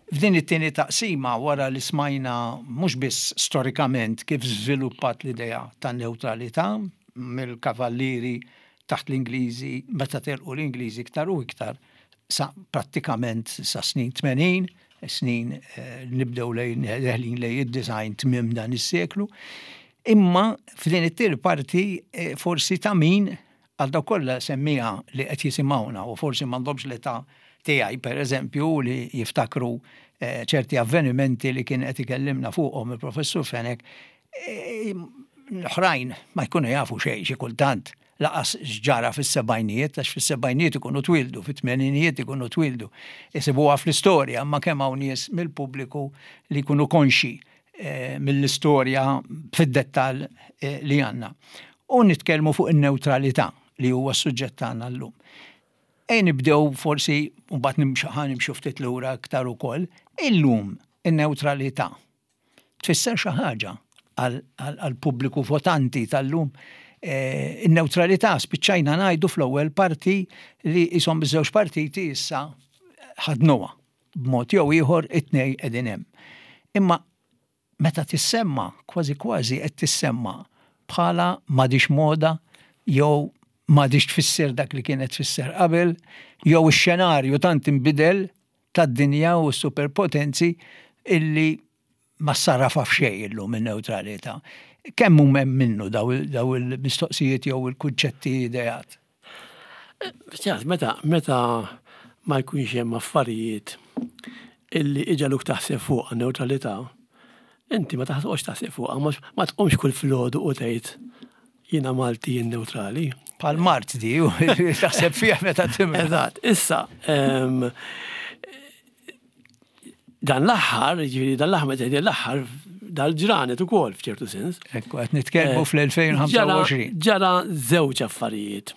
F'din it-tieni taqsima wara li smajna mhux biss storikament kif żviluppat l-idea tan-newtralità mill-kavallieri taħt l-Ingliżi meta telqu l-Ingliżi iktar u iktar sa prattikament sa snin 80, snin eh, nibdew lejn deħlin lejn id-design tmiem dan is-seklu. Imma f'din it-tieni parti eh, forsi ta' min għal dawk kollha semmija li qed jisimgħuna u forsi m'għandhomx l-età tiegħi pereżempju li jiftakru eh, ċerti avvenimenti li kien qed ikellimna fuqhom il-professur Fenech L-oħrajn ma jkunu jafu xejn xi kultant laqas x'ġara fis-sebgħinijiet għax fis-sebgħinijiet ikunu twieldu, fit-tmeninijiet ikunu twieldu. Isibuha fl-istorja, imma kemm hawn nies mill-pubbliku li jkunu konxji eh, mill-istorja fid-dettall eh, li għandna. U nitkellmu fuq in-newtralità li huwa s-suġġett tagħna llum. Ejja nibdew forsi mbagħad nimxu ħa nimxu ftit lura aktar ukoll, illum in-newtralità tfisser xi ħaġa għall-pubbliku votanti tal-lum. Eh, in-newtralità spiċċajna ngħidu fl-ewwel parti li jisom biż-żewġ partiti issa ħadnuha b'mod jew ieħor it-tnej qegħdin hemm. Imma meta tissemma, kważi kważi qed tissemma bħala m'għadix moda jew m'għadix tfisser dak li kienet tfisser qabel, jew ix-xenarju tant inbidel tad-dinja u s-superpotenzi illi ma ssarrafha f'xejn illum in-newtralità. Kemm hu hemm minnu daw il-mistoqsijiet jew il-kunċetti ideat? Ċas, meta, meta ma jkunx hemm affarijiet illi iġagħluk taħseb fuq newtralità, inti ma taħsibx taħseb fuqha, ma tqumx kull filgħodu u tgħid Jiena Malti jien newtrali. Bħal mart di, taħseb fih meta timra. Eżatt, issa, dan l-aħħar, ġifieri dan l-aħħar meta l-aħħar dal-ġranet ukoll f'ċertu sens. Ekku, qed nitkellmu eh, fl-2025. Ġara żewġ affarijiet.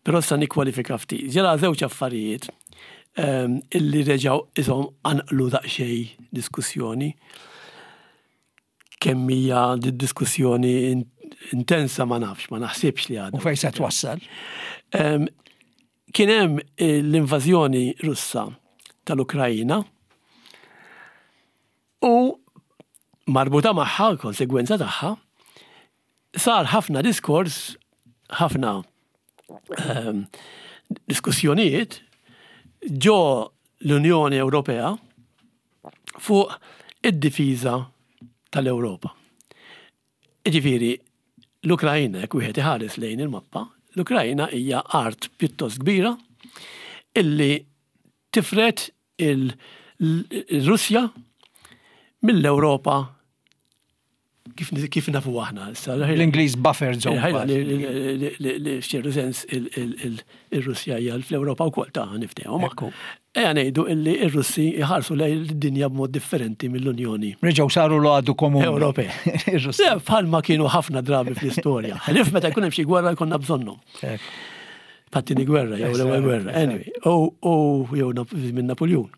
Però sa nikkwalifika ftit. Ġara żewġ affarijiet illi reġgħu ishom anqlu daqsxejn diskussjoni. Kemm hija diskussjoni intensa ma nafx, ma naħsibx li għadha. U fejn se twassal? Kien hemm eh, l-invażjoni Russa tal-Ukrajina u marbuta magħha, konsegwenza tagħha, sar ħafna diskors, ħafna ehm, diskussjonijiet ġo l-Unjoni Ewropea fuq id-difiża tal-Ewropa. Jiġifieri, l-Ukrajna, jekk wieħed iħares lejn il-mappa, l-Ukrajna hija art pjuttost kbira illi tifred il-Russja mill-Ewropa Kif, kif nafu aħna issa. L-Ingliż buffer zone. Li f'ċertu sens il-Russja hija fl-Ewropa wkoll ta' niftehom. Ejja ngħidu illi r-Russi jħarsu lejn id-dinja b'mod differenti mill-Unjoni. Reġgħu saru l-għadu komuni. Ewropea. Ir-Russi. Bħalma kienu ħafna drabi fl-istorja. Ħlief meta jkun hemm xi gwerra jkollna bżonnhom. Pattini gwerra, jew l-ewwel gwerra. Anyway, u jew minn Napoljun.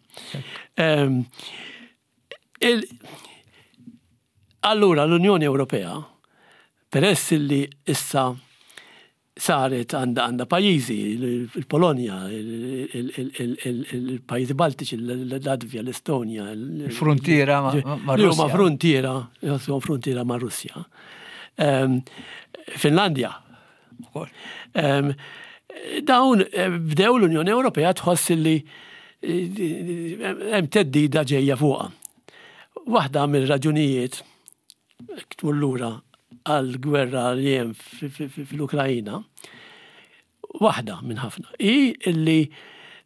Allura l-Unjoni Ewropea, peress li issa saret għandha għandha pajjiżi, il-Polonja, il-pajjiżi Baltiċi, l-Latvja, l-Estonja. Fruntiera ma' Russja. Huma fruntiera, huma fruntiera ma' Russja. Ehm, Finlandja. Ehm, dawn eh, bdew l-Unjoni Ewropea tħoss li eh, hemm teddida ġejja fuqha. Waħda mill-raġunijiet tmur lura għall-gwerra li hemm fl-Ukrajina, waħda minn ħafna, hi illi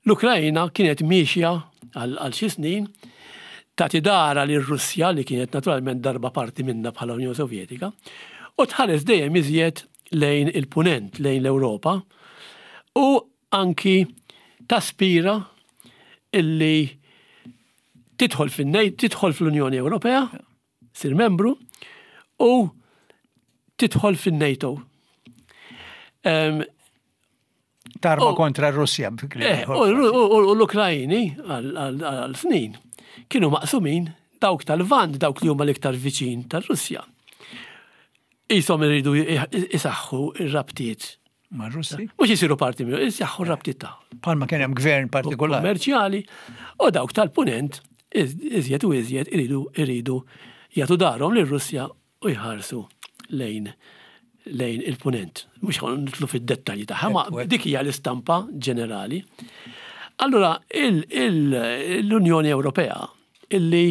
l-Ukrajina kienet miexja għal xi snin tagħti dara lir Russja li kienet naturalment darba parti minnha bħala Unjoni Sovjetika u tħares dejjem iżjed lejn il-punent, lejn l-Ewropa u anki taspira illi tidħol fin-NATO, tidħol fl-Unjoni Ewropea, sir membru u tidħol fin-NATO. Tarma kontra r-Russja. Eh, u l-Ukrajini għal snin kienu maqsumin dawk tal-Vant, dawk li huma l-iktar viċin tal-Russja. Isom iridu isaħħu ir-rabtiet Ma' Russi? Mhux isiru parti minnu, isaħħu r-rabtiet tagħhom. Palma kien hemm gvern partikolari. Kummerċjali u dawk tal-punent iżjed u iżjed iridu iridu jagħtu darhom lir-Russja u jħarsu lejn lejn il-punent. Mhux nitlu fid-dettalji tagħha, ma dik hija l-istampa ġenerali. Allura l-Unjoni Ewropea illi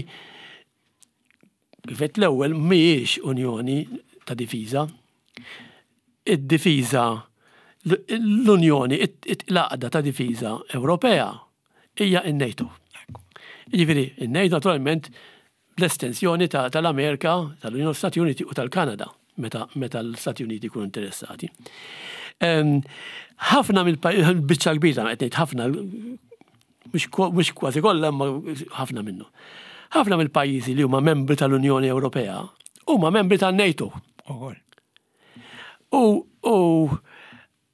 Kif għedt l-ewwel mhijiex unjoni ta' difiża. Id-difiża l-Unjoni, l-għaqda ta' difiża Ewropea hija n-NATO. Jiġifieri, in-NATO naturalment bl-estensjoni tal-Amerika, tal-Unjoni Stati Uniti u tal-Kanada meta meta l-Stati Uniti jkunu interessati. Ħafna mill-biċċa kbira qed ngħid ħafna mhux kważi kollha imma ħafna minnu. Ħafna mill-pajjiżi li huma membri tal-Unjoni Ewropea huma membri tan-NATO. U u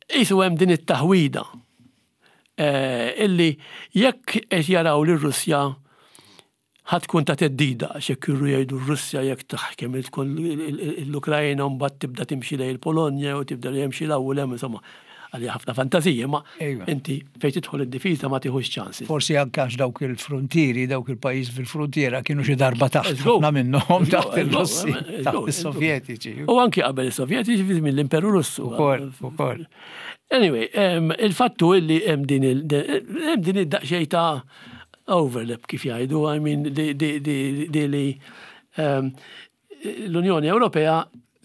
qisu hemm din it-taħwida eh, illi jekk qed jaraw li r-Russja Ħa tkun ta' theddida għax jekk irru jgħidu r-Russja jekk taħkem l-Ukrajna mbagħad tibda timxi lejn il-Polonja jew tibda li jemxi 'l hawn u 'l hemm insomma għalija ħafna fantażiji imma inti fejn tidħol id-difiża ma tieħux ċansi. Forsi anke għax dawk il-fruntieri, dawk il-pajjiżi fil-fruntiera kienu xi darba taħt ħafna minnhom taħt il-Russi, taħt is-Sovjetiċi. U anki qabel is-Sovjetiċi fi żmien l-Imperu Russu. Ukoll, ukoll. Anyway, il-fattu illi hemm din id-daqsxejn ta' overlap kif jgħidu, I mean di li ehm, l-Unjoni Ewropea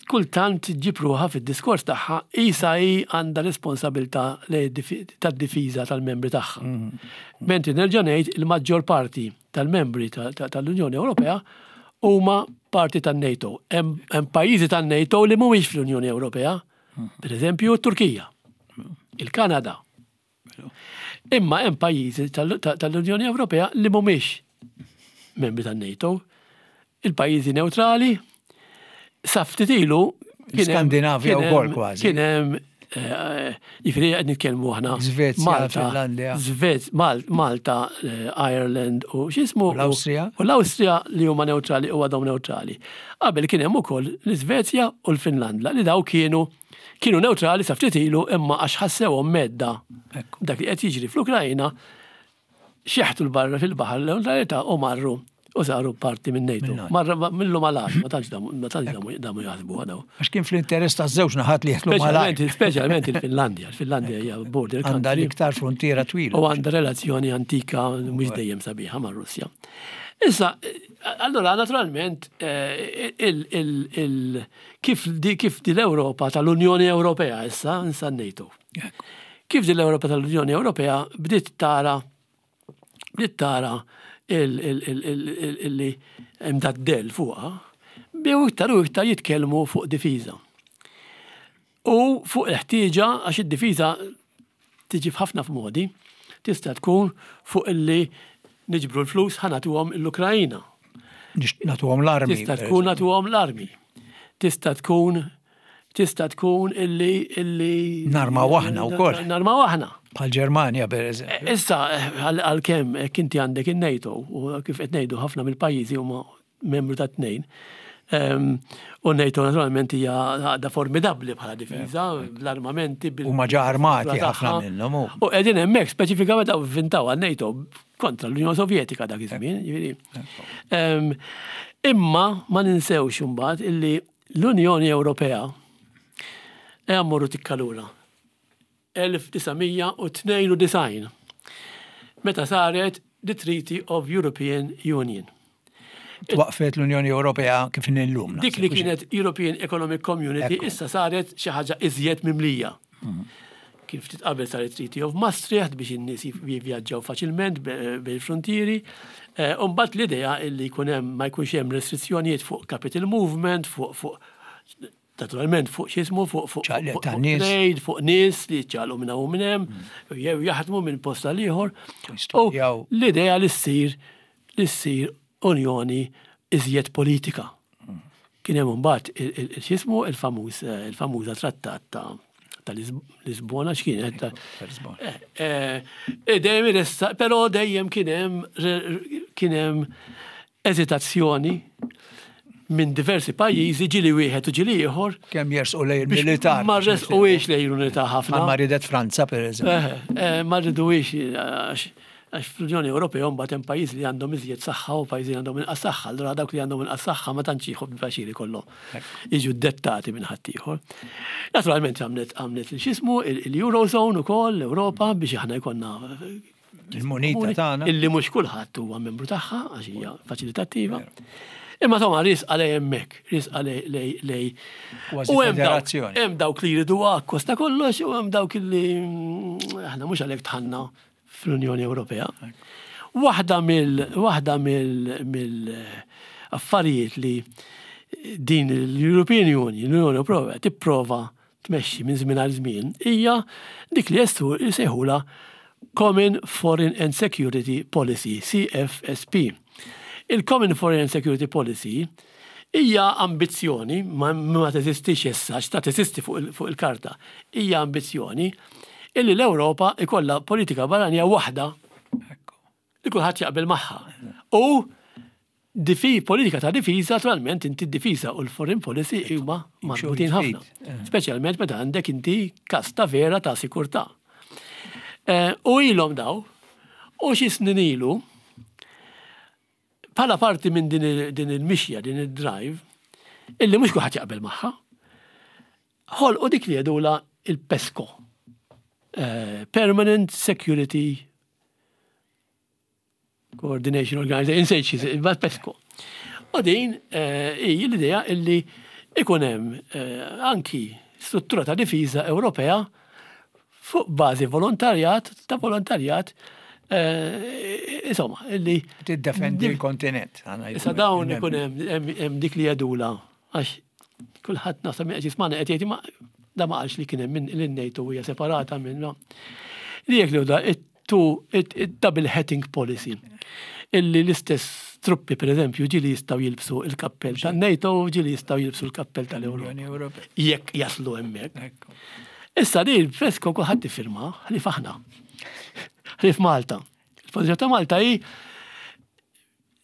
kultant ġib ruħha fid-diskors tagħha isa hi għandha responsabilità tad-difiża tal-membri tagħha. Mm. Mentri nerġa' ngħid il-maġġor parti tal-membri tal-Unjoni Ewropea huma parti tan-NATO. Hemm pajjiżi tan-NATO li mhumiex fl-Unjoni Ewropea, mm. per eżempju t-Turkija, il-Kanada, Imma hemm pajjiżi tal-Unjoni Ewropea li mhumiex membri tan-NATO. Il-pajjiżi neutrali sa ftit ilu Skandinavja wkoll kważi. Kien hemm eh, jiġifieri qed nitkellmu aħna. Svezja, Malta, Finlandja. Malta, eh, Ireland u x'ismu. L-Awstrija. U l-Awstrija li huma neutrali u għadhom neutrali. Qabel kien hemm ukoll l-Iżvezja u l-Finlandja li daw kienu Kienu newtrali sa ftit ilu imma għax ħassewhom mhedda dak li qed jiġri fl-Ukrajna, xeħtu 'l barra fil-baħar l-newtralità u marru u saru parti minn NATO. Marra millu malajr, ma tantx damu ma tantx damu damu jaħsbuha daw. Għax kien fl-interess taż-żewġ naħat li jeħlu malajr. Speċjalment il-Finlandja, il-Finlandja hija border country. Għandha l-iktar fruntiera twila. U għandha relazzjoni antika mhux dejjem sabiħa mar-Russja. Issa, allura naturalment eh, il Kif di kif di l-Ewropa tal-Unjoni Ewropea issa, nsa NATO. Kif di l-Ewropa tal-Unjoni Ewropea bdiet tara bdiet tara illi hemm dad-dell fuqha, Bdew iktar u iktar jitkellmu fuq difiża. U fuq il-ħtieġa għax id-difiża tiġi f'ħafna f'modi, tista' tkun fuq illi niġbru l-flus ħa nagħtuhom l-Ukraina. Nagħtuhom l-armi. Tista' tkun nagħtuhom l-armi. Tista' tkun tista' tkun illi illi Narmaw aħna wkoll. Narmaw aħna. Bħal Ġermanja pereżempju. Eh, issa għalkemm hekk inti għandek in-NATO u kif qed ngħidu ħafna mill-pajjiżi huma membru ta' tnejn. Ehm, u NATO naturalment hija għaqda formidabbli bħala difiża, bl-armamenti. U ma ġa armati ħafna minnhom. U qegħdin hemmhekk speċifikament hawn vintaw għal NATO kontra l-Unjoni Sovjetika dak iż-żmien. Ehm, imma ma ninsewx imbagħad illi l-Unjoni Ewropea ejja mmorru tikka lura. 1992 meta saret the Treaty of European Union. Twaqfet l-Unjoni Ewropea kif inhi llum. Dik li kienet European Economic Community issa saret xi ħaġa iżjed mimlija. Mhm. Kien ftit qabel saret Treaty of Maastricht biex in-nies jivvjaġġaw faċilment bejn frontieri. Eh, u mbagħad l-idea li jkun hemm ma jkunx hemm restrizzjonijiet fuq capital movement, fuq fuq naturalment fuq x'ismu fuq fuq trade, fuq nies li ċaqlu minn hawn minn hemm, mm. jew jaħdmu minn post għal ieħor. U l-idea li ssir li ssir unjoni iżjed politika. Mm. Kien hemm imbagħad x'ismu il-famuż eh, il-famuża trattat ta' ta' Lisbona x'kienet. Eh, eh, dejjem iressa, però dejjem kien hemm kien hemm eżitazzjoni minn diversi pajjiżi ġili wieħed u ġili ieħor. Kemm jersqu lejn il-militar. Ma resquwiex lejn l-unità ħafna. Ma ridet Franza pereżempju. Eh, ma riduwiex għax fl-Unjoni Ewropea mbagħad hemm pajjiżi li għandhom iżjed saħħa u pajjiżi li għandhom inqas saħħa. Allura dawk li għandhom inqas saħħa ma tantx jieħu pjaċir ikollhom jiġu dettati minn ħaddieħor. Naturalment għamlet għamlet x'ismu il-Eurozone ukoll l-Ewropa biex aħna jkollna Il-munita tagħna. Illi mhux kulħadd huwa membru tagħha għax hija faċilitattiva. Imma toma risqa lej hemmhekk, risqa lej lej. U hemm dawk li jridu akkost ta' kollox u hemm dawk li mm, aħna mhux għalhekk tħanna fl-Unjoni Ewropea. Waħda mill waħda mill affarijiet li din l-European Union, l-Unjoni Ewropea tipprova tmexxi minn żmien għal żmien hija dik li jsejħulha Common Foreign and Security Policy, CFSP. Il-Common Foreign and Security Policy hija ambizzjoni, ma, ma teżistix issa, x'ta teżisti fuq il-karta, hija ambizzjoni illi l-Ewropa ikollha politika barranija waħda li kulħadd jaqbel magħha. U difi, politika ta' difiża, naturalment inti d-difiża u l-foreign policy huma marbutin ħafna. Eh. Speċjalment meta għandek inti kas ta' vera ta' sikurtà. Eh, u ilhom daw, u xi snin ilu, bħala parti minn din il-mixja, din il-drive, illi mhux kulħadd jaqbel magħha, ħolqu dik li jgħidula il-PESCO. Eh, Permanent Security Coordination Organization, insejt xi, ma PESCO. U din eh, hi l-idea illi ikun hemm eh, anki struttura ta' difiża Ewropea fuq bażi volontarjat ta' volontarjat eh, insomma illi tiddefendi l-kontinent. Issa dawn ikun hemm dik li jgħidula għax kulħadd naħseb qed jismana qed jgħid ma da ma qalx li kien hemm lin-NATO hija separata minn Li jekk li da tu double hatting policy. Illi l-istess truppi, per eżempju, ġili jistaw jilbsu il-kappell ta' NATO, ġili jistaw jilbsu l-kappell tal-Unjoni Ewropea. Jekk jaslu hemmhekk. Issa di l-fresko kulħadd iffirma, ħlief aħna. Ħlief Malta. Il-pożizzjoni ta' Malta hi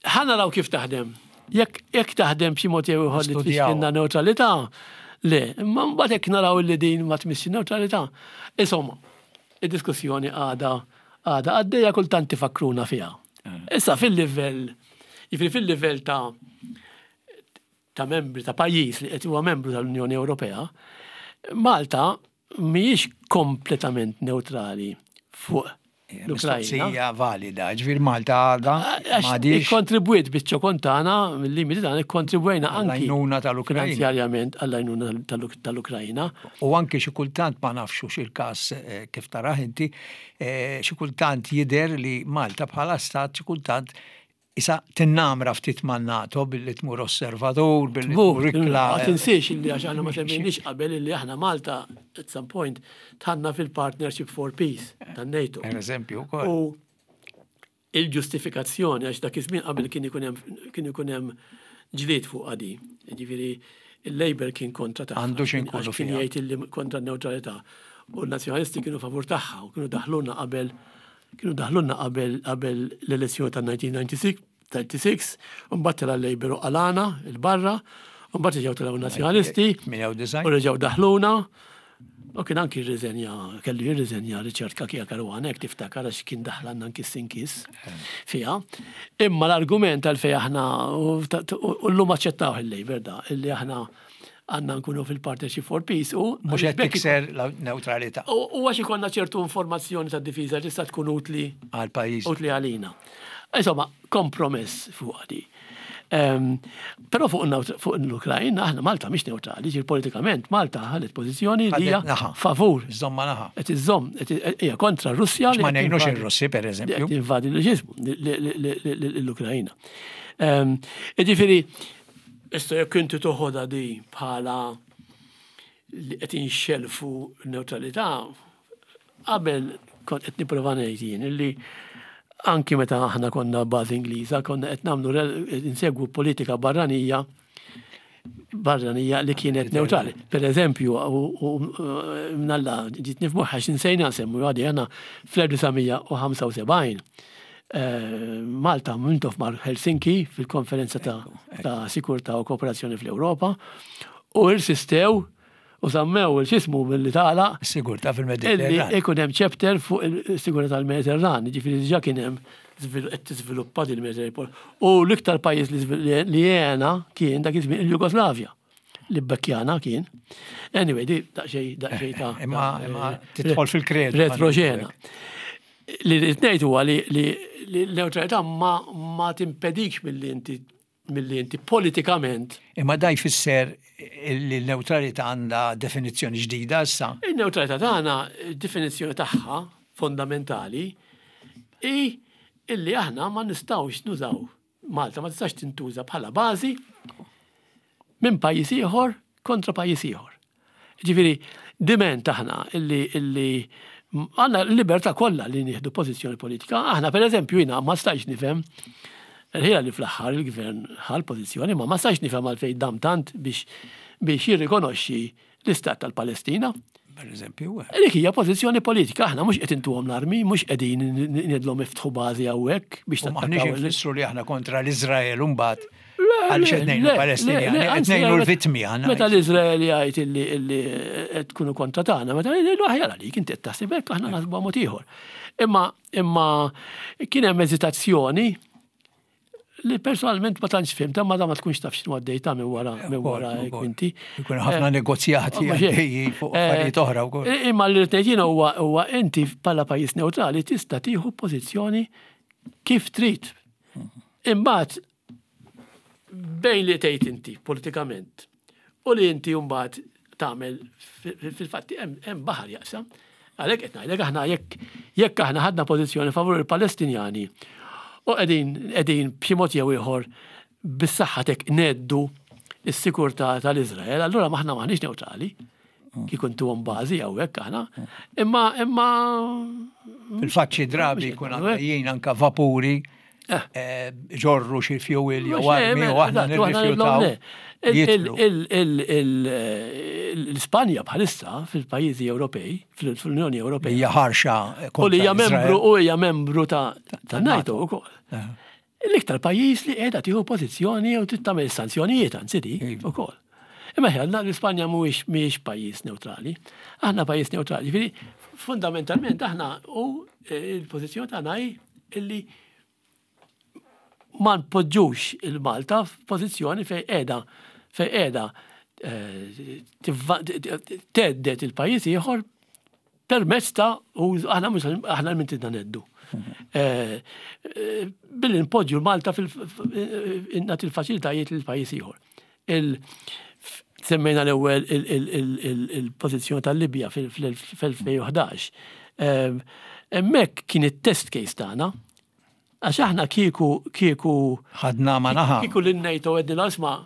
Ħa naraw kif taħdem. Jekk jekk taħdem b'xi mod jew ieħor li tfixkilna neutralità, le, imma mbagħad jekk naraw li din ma tmissx neutralità. Insomma, id-diskussjoni għadha għadha għaddejja kultant tifakkruna fiha. Eh. Issa fil-livell, jiġifieri fil-livell ta' ta' membri ta' pajjiż li qed huwa membru tal-Unjoni Ewropea, Malta mhijiex kompletament neutrali fuq l-Ukrajna. Hija valida, ġifier Malta għadha m'għadix. Ikkontribwiet biċ-ċokon tagħna, mill-limiti tagħna ikkontribwejna anki. Għall-għajnuna tal-Ukrajna. Finanzjarjament għall-għajnuna tal-Ukrajna. U anki xi kultant ma nafx hux il-każ eh, kif tarah inti, eh, xi kultant jidher li Malta bħala stat xi kultant Isa tinnamra ftit man-NATO billi tmur osservatur, billi tmur ikla. Ma tinsiex illi għax aħna ma semmejniex qabel illi aħna Malta at some point tħanna fil-Partnership for Peace tan-NATO. Per eżempju wkoll. U il-ġustifikazzjoni għax dak iż-żmien qabel kien ikun hemm kien ikun hemm ġlied fuq di. Jiġifieri il-Labour kien kontra tagħha. Għandu xi nkunu Kien jgħid illi kontra n-newtralità. U n-Nazzjonalisti kienu favur tagħha u kienu daħluna qabel kienu daħlulna qabel qabel l-elezzjoni ta' 1996, 96, u mbagħad tela' l-Labour u qalana 'l barra, u mbagħad reġgħu telgħu n-Nazzjonalisti u reġgħu daħluna. U kien anki rriżenja, kellu jirriżenja Richard Cachia Caruana, jekk tiftakar għax kien daħlanna anki s-sinkis fiha. Imma l-argument għalfejn aħna u llum aċċettawh il-Labour da, illi aħna għandna nkunu fil-Partnership for Peace u. Mhux qed tikser l-newtralità. U għax ikollna ċertu informazzjoni ta' difiża li tista' tkun utli. Għal pajjiż. Utli għalina. Insomma, kompromess fuq di. Ehm, però fuq l-Ukrajna, aħna Malta mhix neutrali, ġir politikament Malta ħadet pożizzjoni li hija favur. Żomma naħa. Qed iżżomm, hija kontra Russja. Ma ngħinux ir-Russi pereżempju. Invadi l-Ukrajna. Ehm, jiġifieri, Issa jekk inti toħodha di bħala li qed inxellfu n-newtralità, qabel kont qed nipprova ngħid jien illi anki meta aħna konna bażi Ingliża konna qed nagħmlu insegwu politika barranija barranija li kienet neutrali. Per eżempju, u mnalla ġiet nifmuħ għax insejna nsemmu għadi għana fl-1975 Malta Mintoff mar Helsinki fil-konferenza ta' ta' sikurtà u kooperazzjoni fl-Ewropa u irsistew u żammew il-xismu milli tagħlaq. Is-sigurtà fil-Mediterran. Ikun hemm chapter fuq is-sigurtà tal-Mediterran, jiġifieri diġà kien hemm qed tiżviluppa din il-Mediterran. U l-iktar pajjiż li għena kien dak iż-żmien il-Jugoslavja. Li bbekkjana kien. Anyway, di daqsxejn daqsxejn ta' Imma imma tidħol fil-kredu. Retroxena. Li rrid ngħid huwa li l-newtralità ma timpedikx milli inti milli inti politikament. Imma da jfisser li l-newtralità għandha definizzjoni ġdida issa? In-newtralità tagħna, id-definizzjoni tagħha fondamentali hi illi aħna ma nistgħux nużaw Malta ma tistax tintuża bħala bażi minn pajjiż ieħor kontra pajjiż ieħor. Ġifieri, diment aħna illi illi għandna l-libertà kollha li nieħdu pożizzjoni politika. Aħna pereżempju jiena ma stajtx nifhem ħila li fl-aħħar il-gvern ħa l-pożizzjoni, ma ma stajtx nifhem għalfejn dam tant biex biex jirrikonoxxi l-istat tal-Palestina. Per eżempju. Eh. Dik hija pożizzjoni politika, aħna mhux qed intuhom l-armi, mhux qegħdin ngħidlhom iftħu bażi hawnhekk biex Maħniex infissru li aħna kontra l-Iżrael mbagħad għaliex qed ngħinu Palestinjani, qed ngħinu l-vittmi aħna. Meta l-Iżrael jgħid illi qed tkunu kontra tagħna, meta ngħidu aħjar għalik inti qed taħseb hekk aħna naħsbu mod ieħor. Imma imma kien hemm eżitazzjoni li personalment ma tantx fhimt, ma da ma tkunx taf x'inhu għaddej ta' minn wara minn wara inti. Ikun ħafna eh, negozjati għaddej fuq eh, affarijiet oħra wkoll. Eh, imma li rrid ngħid huwa huwa inti bħala pajjiż neutrali tista' tieħu pożizzjoni kif trid. Imbagħad bejn li tgħid inti politikament u li inti mbagħad tagħmel fil-fatti hemm baħar jaqsam. Għalhekk qed ngħidlek aħna jekk jekk aħna ħadna pożizzjoni favur il-Palestinjani u qegħdin qegħdin b'xi mod jew ieħor bis-saħħa tek ngħeddu s-sikurtà tal-Iżrael, allura aħna maħniex newtrali. Kieku ntuhom bażi hawnhekk aħna. Imma imma Fil-fatt xi drabi jkun għaddejjin anka vapuri eh. Eh, ġorru xi fuel jew armi u aħna nirrifjutaw. L-Ispanja bħalissa fil-pajjiżi Ewropej, fl-Unjoni Ewropea. Hija ħarxa. U li hija membru u hija membru ta' NATO wkoll. Eh. L-iktar pajjiż li qiegħda tieħu pożizzjoni jew trid tagħmel sanzjonijiet anzi di iva. ukoll. Imma ħjalna l-Ispanja mhuwiex mhijiex pajjiż neutrali. Aħna pajjiż neutrali. Ġifieri fundamentalment aħna u l-pożizzjoni tagħna hi illi ma npoġġux il-Malta f'pożizzjoni fejn qiegħda fejn qiegħda eh, tgħeddet il-pajjiż ieħor permezz ta' aħna mhux aħna minn tidna neddu. Eh, eh, billi npoġġu l-Malta fil-nagħti l-faċilitajiet lil pajjiż ieħor. Semmejna l-ewwel il-pożizzjoni tal-Libja fil-2011. Hemmhekk kien it-test case tagħna. Għax aħna kieku kieku ħadna ma naħa. Kieku lin-NATO għedna isma'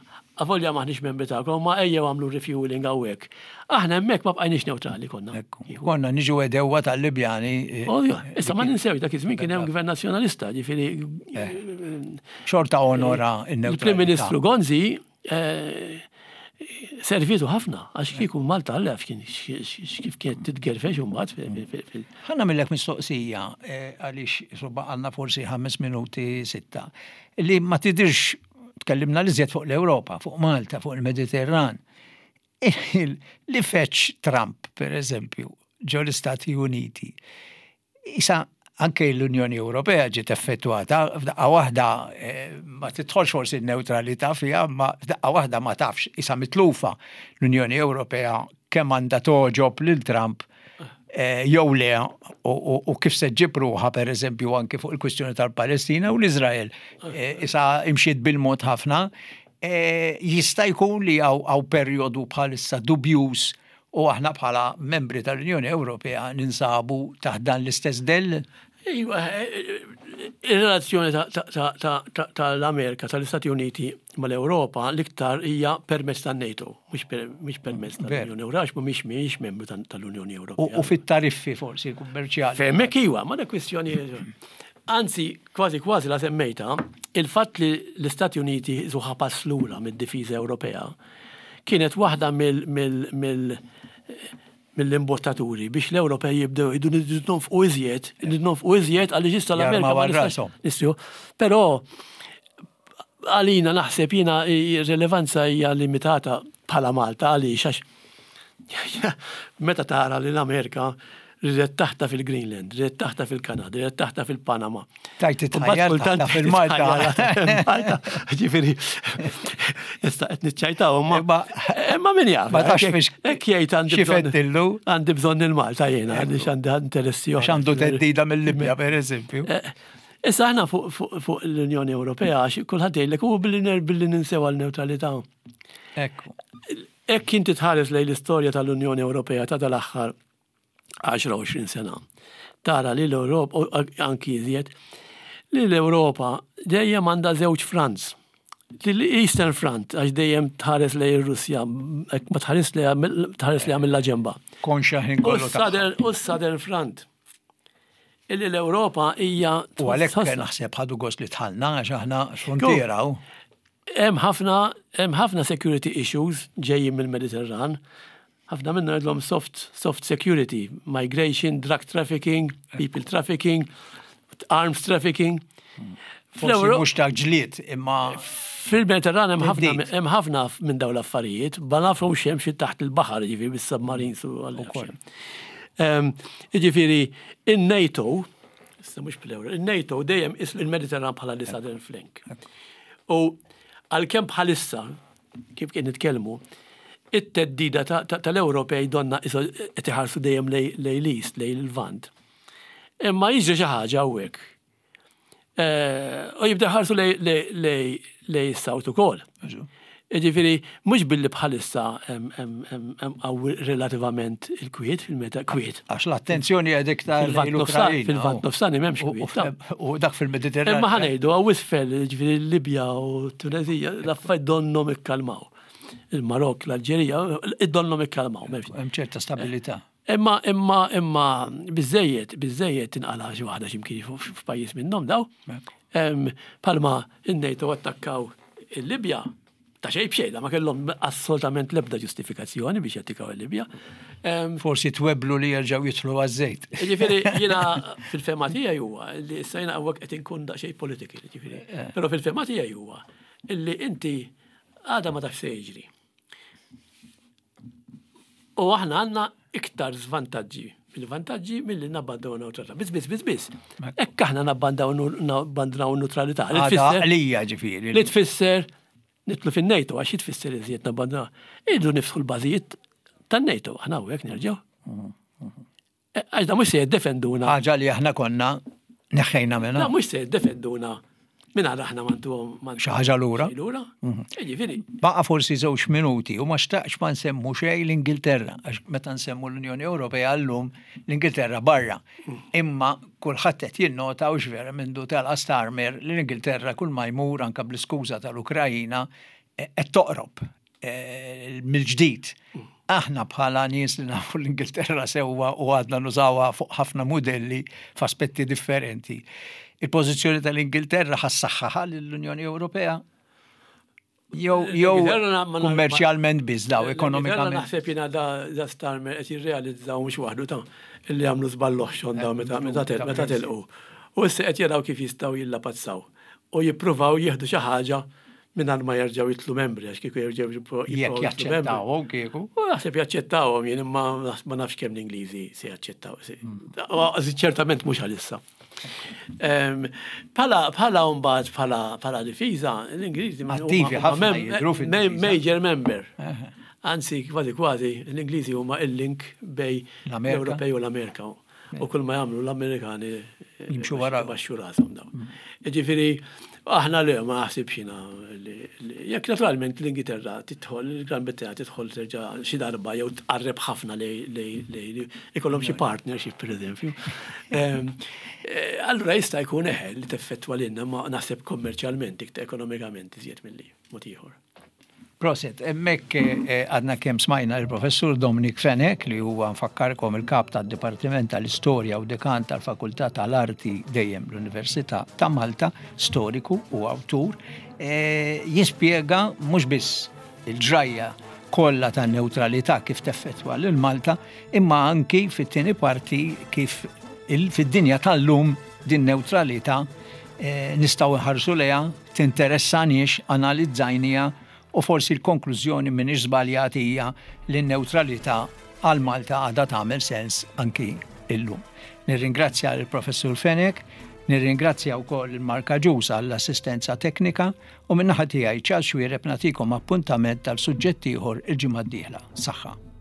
avolja maħniex membri tagħkom, ma ejjew għamlu refueling hawnhekk. Aħna hemmhekk ma bqajniex neutrali konna. Konna niġu għedewwa tal-Libjani. Eh, oh, issa ma ninsewx dak iż-żmien kien hemm gvern nazzjonalista, ġifieri. Eh. Xorta onora in-neutralità. Il-Prim Ministru Gonzi eh, servitu ħafna, għax kieku Malta għallef kien kif kienet titgerfex imbagħad. Ħa nagħmillek mistoqsija għaliex soba għandna forsi ħames minuti sitta li ma tidirx tkellimna li żjed fuq l-Ewropa, fuq Malta, fuq il-Mediterran. Li feċ Trump, per eżempju, ġo l-Istati Uniti, isa anke l-Unjoni Ewropea ġiet effettwata, f'daqqa waħda eh, ma tidħolx forsi n-neutralità fiha, ma f'daqqa waħda ma tafx, isa mitlufa l-Unjoni Ewropea kemm għandha toġob lil Trump eh, jew le u kif se ġib ruħha pereżempju anke fuq il-kwistjoni tal-Palestina u l-Iżrael. Eh, isa imxiet bil-mod ħafna. Eh, jista' jkun li hawn perjodu bħalissa dubjuż u aħna bħala membri tal-Unjoni Ewropea ninsabu taħt dan l-istess dell? Iva, ir-relazzjoni tal-Amerika, tal-Istati Uniti mal-Ewropa l-iktar hija permezz tan-NATO, mhux permezz tal-Unjoni Ewropea, għax mhumiex mhijiex membru tal-Unjoni Ewropea. U fit-tariffi forsi kummerċjali. Hemmhekk iwa, ma dak kwistjoni. Anzi, kważi kważi la semmejta, il-fatt li l-Istati Uniti zuħa pass lura mid-difiża Ewropea kienet waħda mill mill-imbottaturi biex l-Ewropej jibdew jgħidu nridu nonfqu iżjed, nridu nonfqu iżjed għaliex issa l-Amerika ma nistax. Però għalina naħseb jiena r-rilevanza hija limitata bħala Malta għaliex għax meta tara li l-Amerika ridet taħta fil-Greenland, ridet taħta fil-Kanada, ridet taħta fil-Panama. Tajt titħajjar taħta fil-Malta. Ġifieri, issa qed niċċajtaw, imma imma min jaf. Ma tafx fiex. Hekk jgħid għandi bżonn. Għandi bżonn il-Malta jiena, għaliex għandi interessi oħra. Għandu teddida mill-Libja, pereżempju. Eh, issa aħna fuq l-Unjoni Ewropea, għax kulħadd jgħidlek u billi billi ninsew għal-neutralità. Ekku. Hekk inti tħares lejn l-istorja tal-Unjoni Ewropea ta' dal-aħħar 10-20 sena. Tara li l-Ewropa, anki iżjed, li l-Ewropa dejjem għandha żewġ fronts. L-Eastern Front, għax dejjem tħares lejn ir-Russja, ma tħares tħares lejha mill-ġemba. Konxa ħin kollu. U s-Southern Front. Illi l-Ewropa hija. U għalhekk naħseb ħadu gost li tħallna għax aħna frontiera. Hemm ħafna hemm ħafna security issues ġejjin mill-Mediterran. Ħafna minnhom jgħidlhom soft, soft security, migration, drug trafficking, people trafficking, arms trafficking. Forsi mhux ta' ġlied imma Fil-Mediterran hemm ħafna hemm ħafna minn dawn l-affarijiet, ma nafhom x'hemm xi taħt il-baħar, jiġifieri bis-submarines u għall ehm, Jiġifieri in-NATO, issa mhux bl in-NATO dejjem is il-Mediterran bħala li Southern Flank. U għalkemm bħalissa kif kien nitkellmu, it-theddida tal-Ewropej donna qed iħarsu dejjem lejn l-East, lejn il-Lvant. Imma jiġri xi ħaġa hawnhekk. Eh, u jibda ħarsu lejn is-South ukoll. Jiġifieri mhux billi bħalissa hemm qawwi relativament il-kwiet fil-meta kwiet. Għax l-attenzjoni qed iktar l-Ukrajna. Fil-Lvant Nofsani m'hemmx kwiet. U dak fil-Mediterran. Imma ħa ngħidu hawn isfel, jiġifieri l-Libja u t-Tunezija, l-affarijiet donnhom ikkalmaw. Il-Marokk, l-Alġerija, donnhom ikkalmaw. Hemm ċerta stabilità. Imma imma imma biżejjed, biżejjed tinqala' xi waħda x'imkien f'pajjiż minnhom daw. Palma in-NATO attakkaw il-Libja ta' xejn b'xejn, ma kellhom assolutament l-ebda ġustifikazzjoni biex jattikaw il-Libja. Forsi tweblu li jerġgħu jidħlu għaż-żejt. Ġifieri jiena fil-fema tiegħi huwa li issa jiena hawnhekk qed inkun daqsxejn political, ġifieri. Eh. Però fil-fema tiegħi huwa illi inti għada ma tafx se jiġri. U aħna għandna iktar żvantaġġi mill-vantaġġi milli nabbandaw neutralità. Biss, biss, biss, biss. Hekk aħna nabbandaw nabbandaw neutralità. Li tfisser għalija ġifieri. Li tfisser nitlu fin-NATO għax tfisser iżjed nabbandaw. Irridu niftħu l-bażijiet tan-NATO aħna hawnhekk nerġgħu. Mhm, mhm. Għax da mhux se jiddefenduna. Ħaġa li aħna konna neħħejna minna. Da mhux se jiddefenduna. Mingħajr aħna ma ntuhom xi ħaġa lura. Lura. Mhm. Jiġifieri. Baqa' forsi żewġ minuti u ma xtaqx ma nsemmu xejn l-Ingilterra għax meta nsemmu l-Unjoni Ewropea llum l-Ingilterra barra. Mm. Imma kulħadd qed jinnota u vera mindu tela' Starmer li l-Ingilterra kull ma jmur anke bl-iskuża tal-Ukrajina eh, qed toqrob eh, mill-ġdid. Aħna bħala nies li nafu l-Ingilterra sewwa u għadna nużawha fuq ħafna mudelli f'aspetti differenti. Il-pożizzjoni tal-Ingilterra ħassaħħaħa lill-Unjoni Ewropea jew jew kummerċjalment biss daw ekonomikament. Naħseb jiena da, da Starmer qed jirrealizzaw mhux waħdu ta' illi għamlu żball oħxon daw meta meta meta telqu. U issa qed jaraw kif jistgħu jillapazzaw u jippruvaw jieħdu xi ħaġa mingħajr ma jerġgħu jitlu membri għax kieku jerġgħu jibqgħu Jekk jaċċettawhom kieku. U naħseb jaċċettawhom jien imma ma nafx kemm l-Ingliżi se jaċċettaw. Hmm. Ċertament mhux għalissa. Bħala bħala mbagħad bħala bħala difiża, l-Ingliżi attivi ħafna jidhru Major member. Anzi, kważi kważi, l-Ingliżi huma il-link bej l-Ewropej u l-Amerika. U kull ma jagħmlu l-Amerikani jimxu wara baxxu rashom dawn. Mm. Jiġifieri aħna le ma naħsibx jiena jekk naturalment l-Ingilterra tidħol, il-Gran Brittanja tidħol terġa' xi darba jew tqarreb ħafna li ikollhom xi partnership pereżempju. Ehm, eh, allura jista' jkun eħe li teffettwa lilna ma naħseb kommerċjalment iktar ekonomikament iżjed milli mod ieħor. Proset, hemmhekk eh, għadna kemm smajna il-professur Dominic Fenech li huwa nfakkarkom il-kap tad-Dipartiment tal-Istorja u dekan tal-Fakultà tal-Arti dejjem l-Università ta' Malta, storiku u awtur, eh, jispjega mhux biss il-ġrajja kollha tan-newtralità kif teffettwa lil Malta, imma anki fit-tieni parti kif fid-dinja tal-lum din newtralità eh, nistgħu nħarsu lejha tinteressaniex, analizzajniha u forsi l-konklużjoni m'iniex żbaljat hija li n-newtralità għal Malta għadha tagħmel sens anki illum. Nirringrazzja lill-Professur Fenech, nirringrazzja wkoll lil Mark Agius għall-assistenza teknika u min-naħa tiegħi Charles Xuereb nagħtikom appuntament għal suġġett ieħor il-ġimgħa d-dieħla. Saħħa.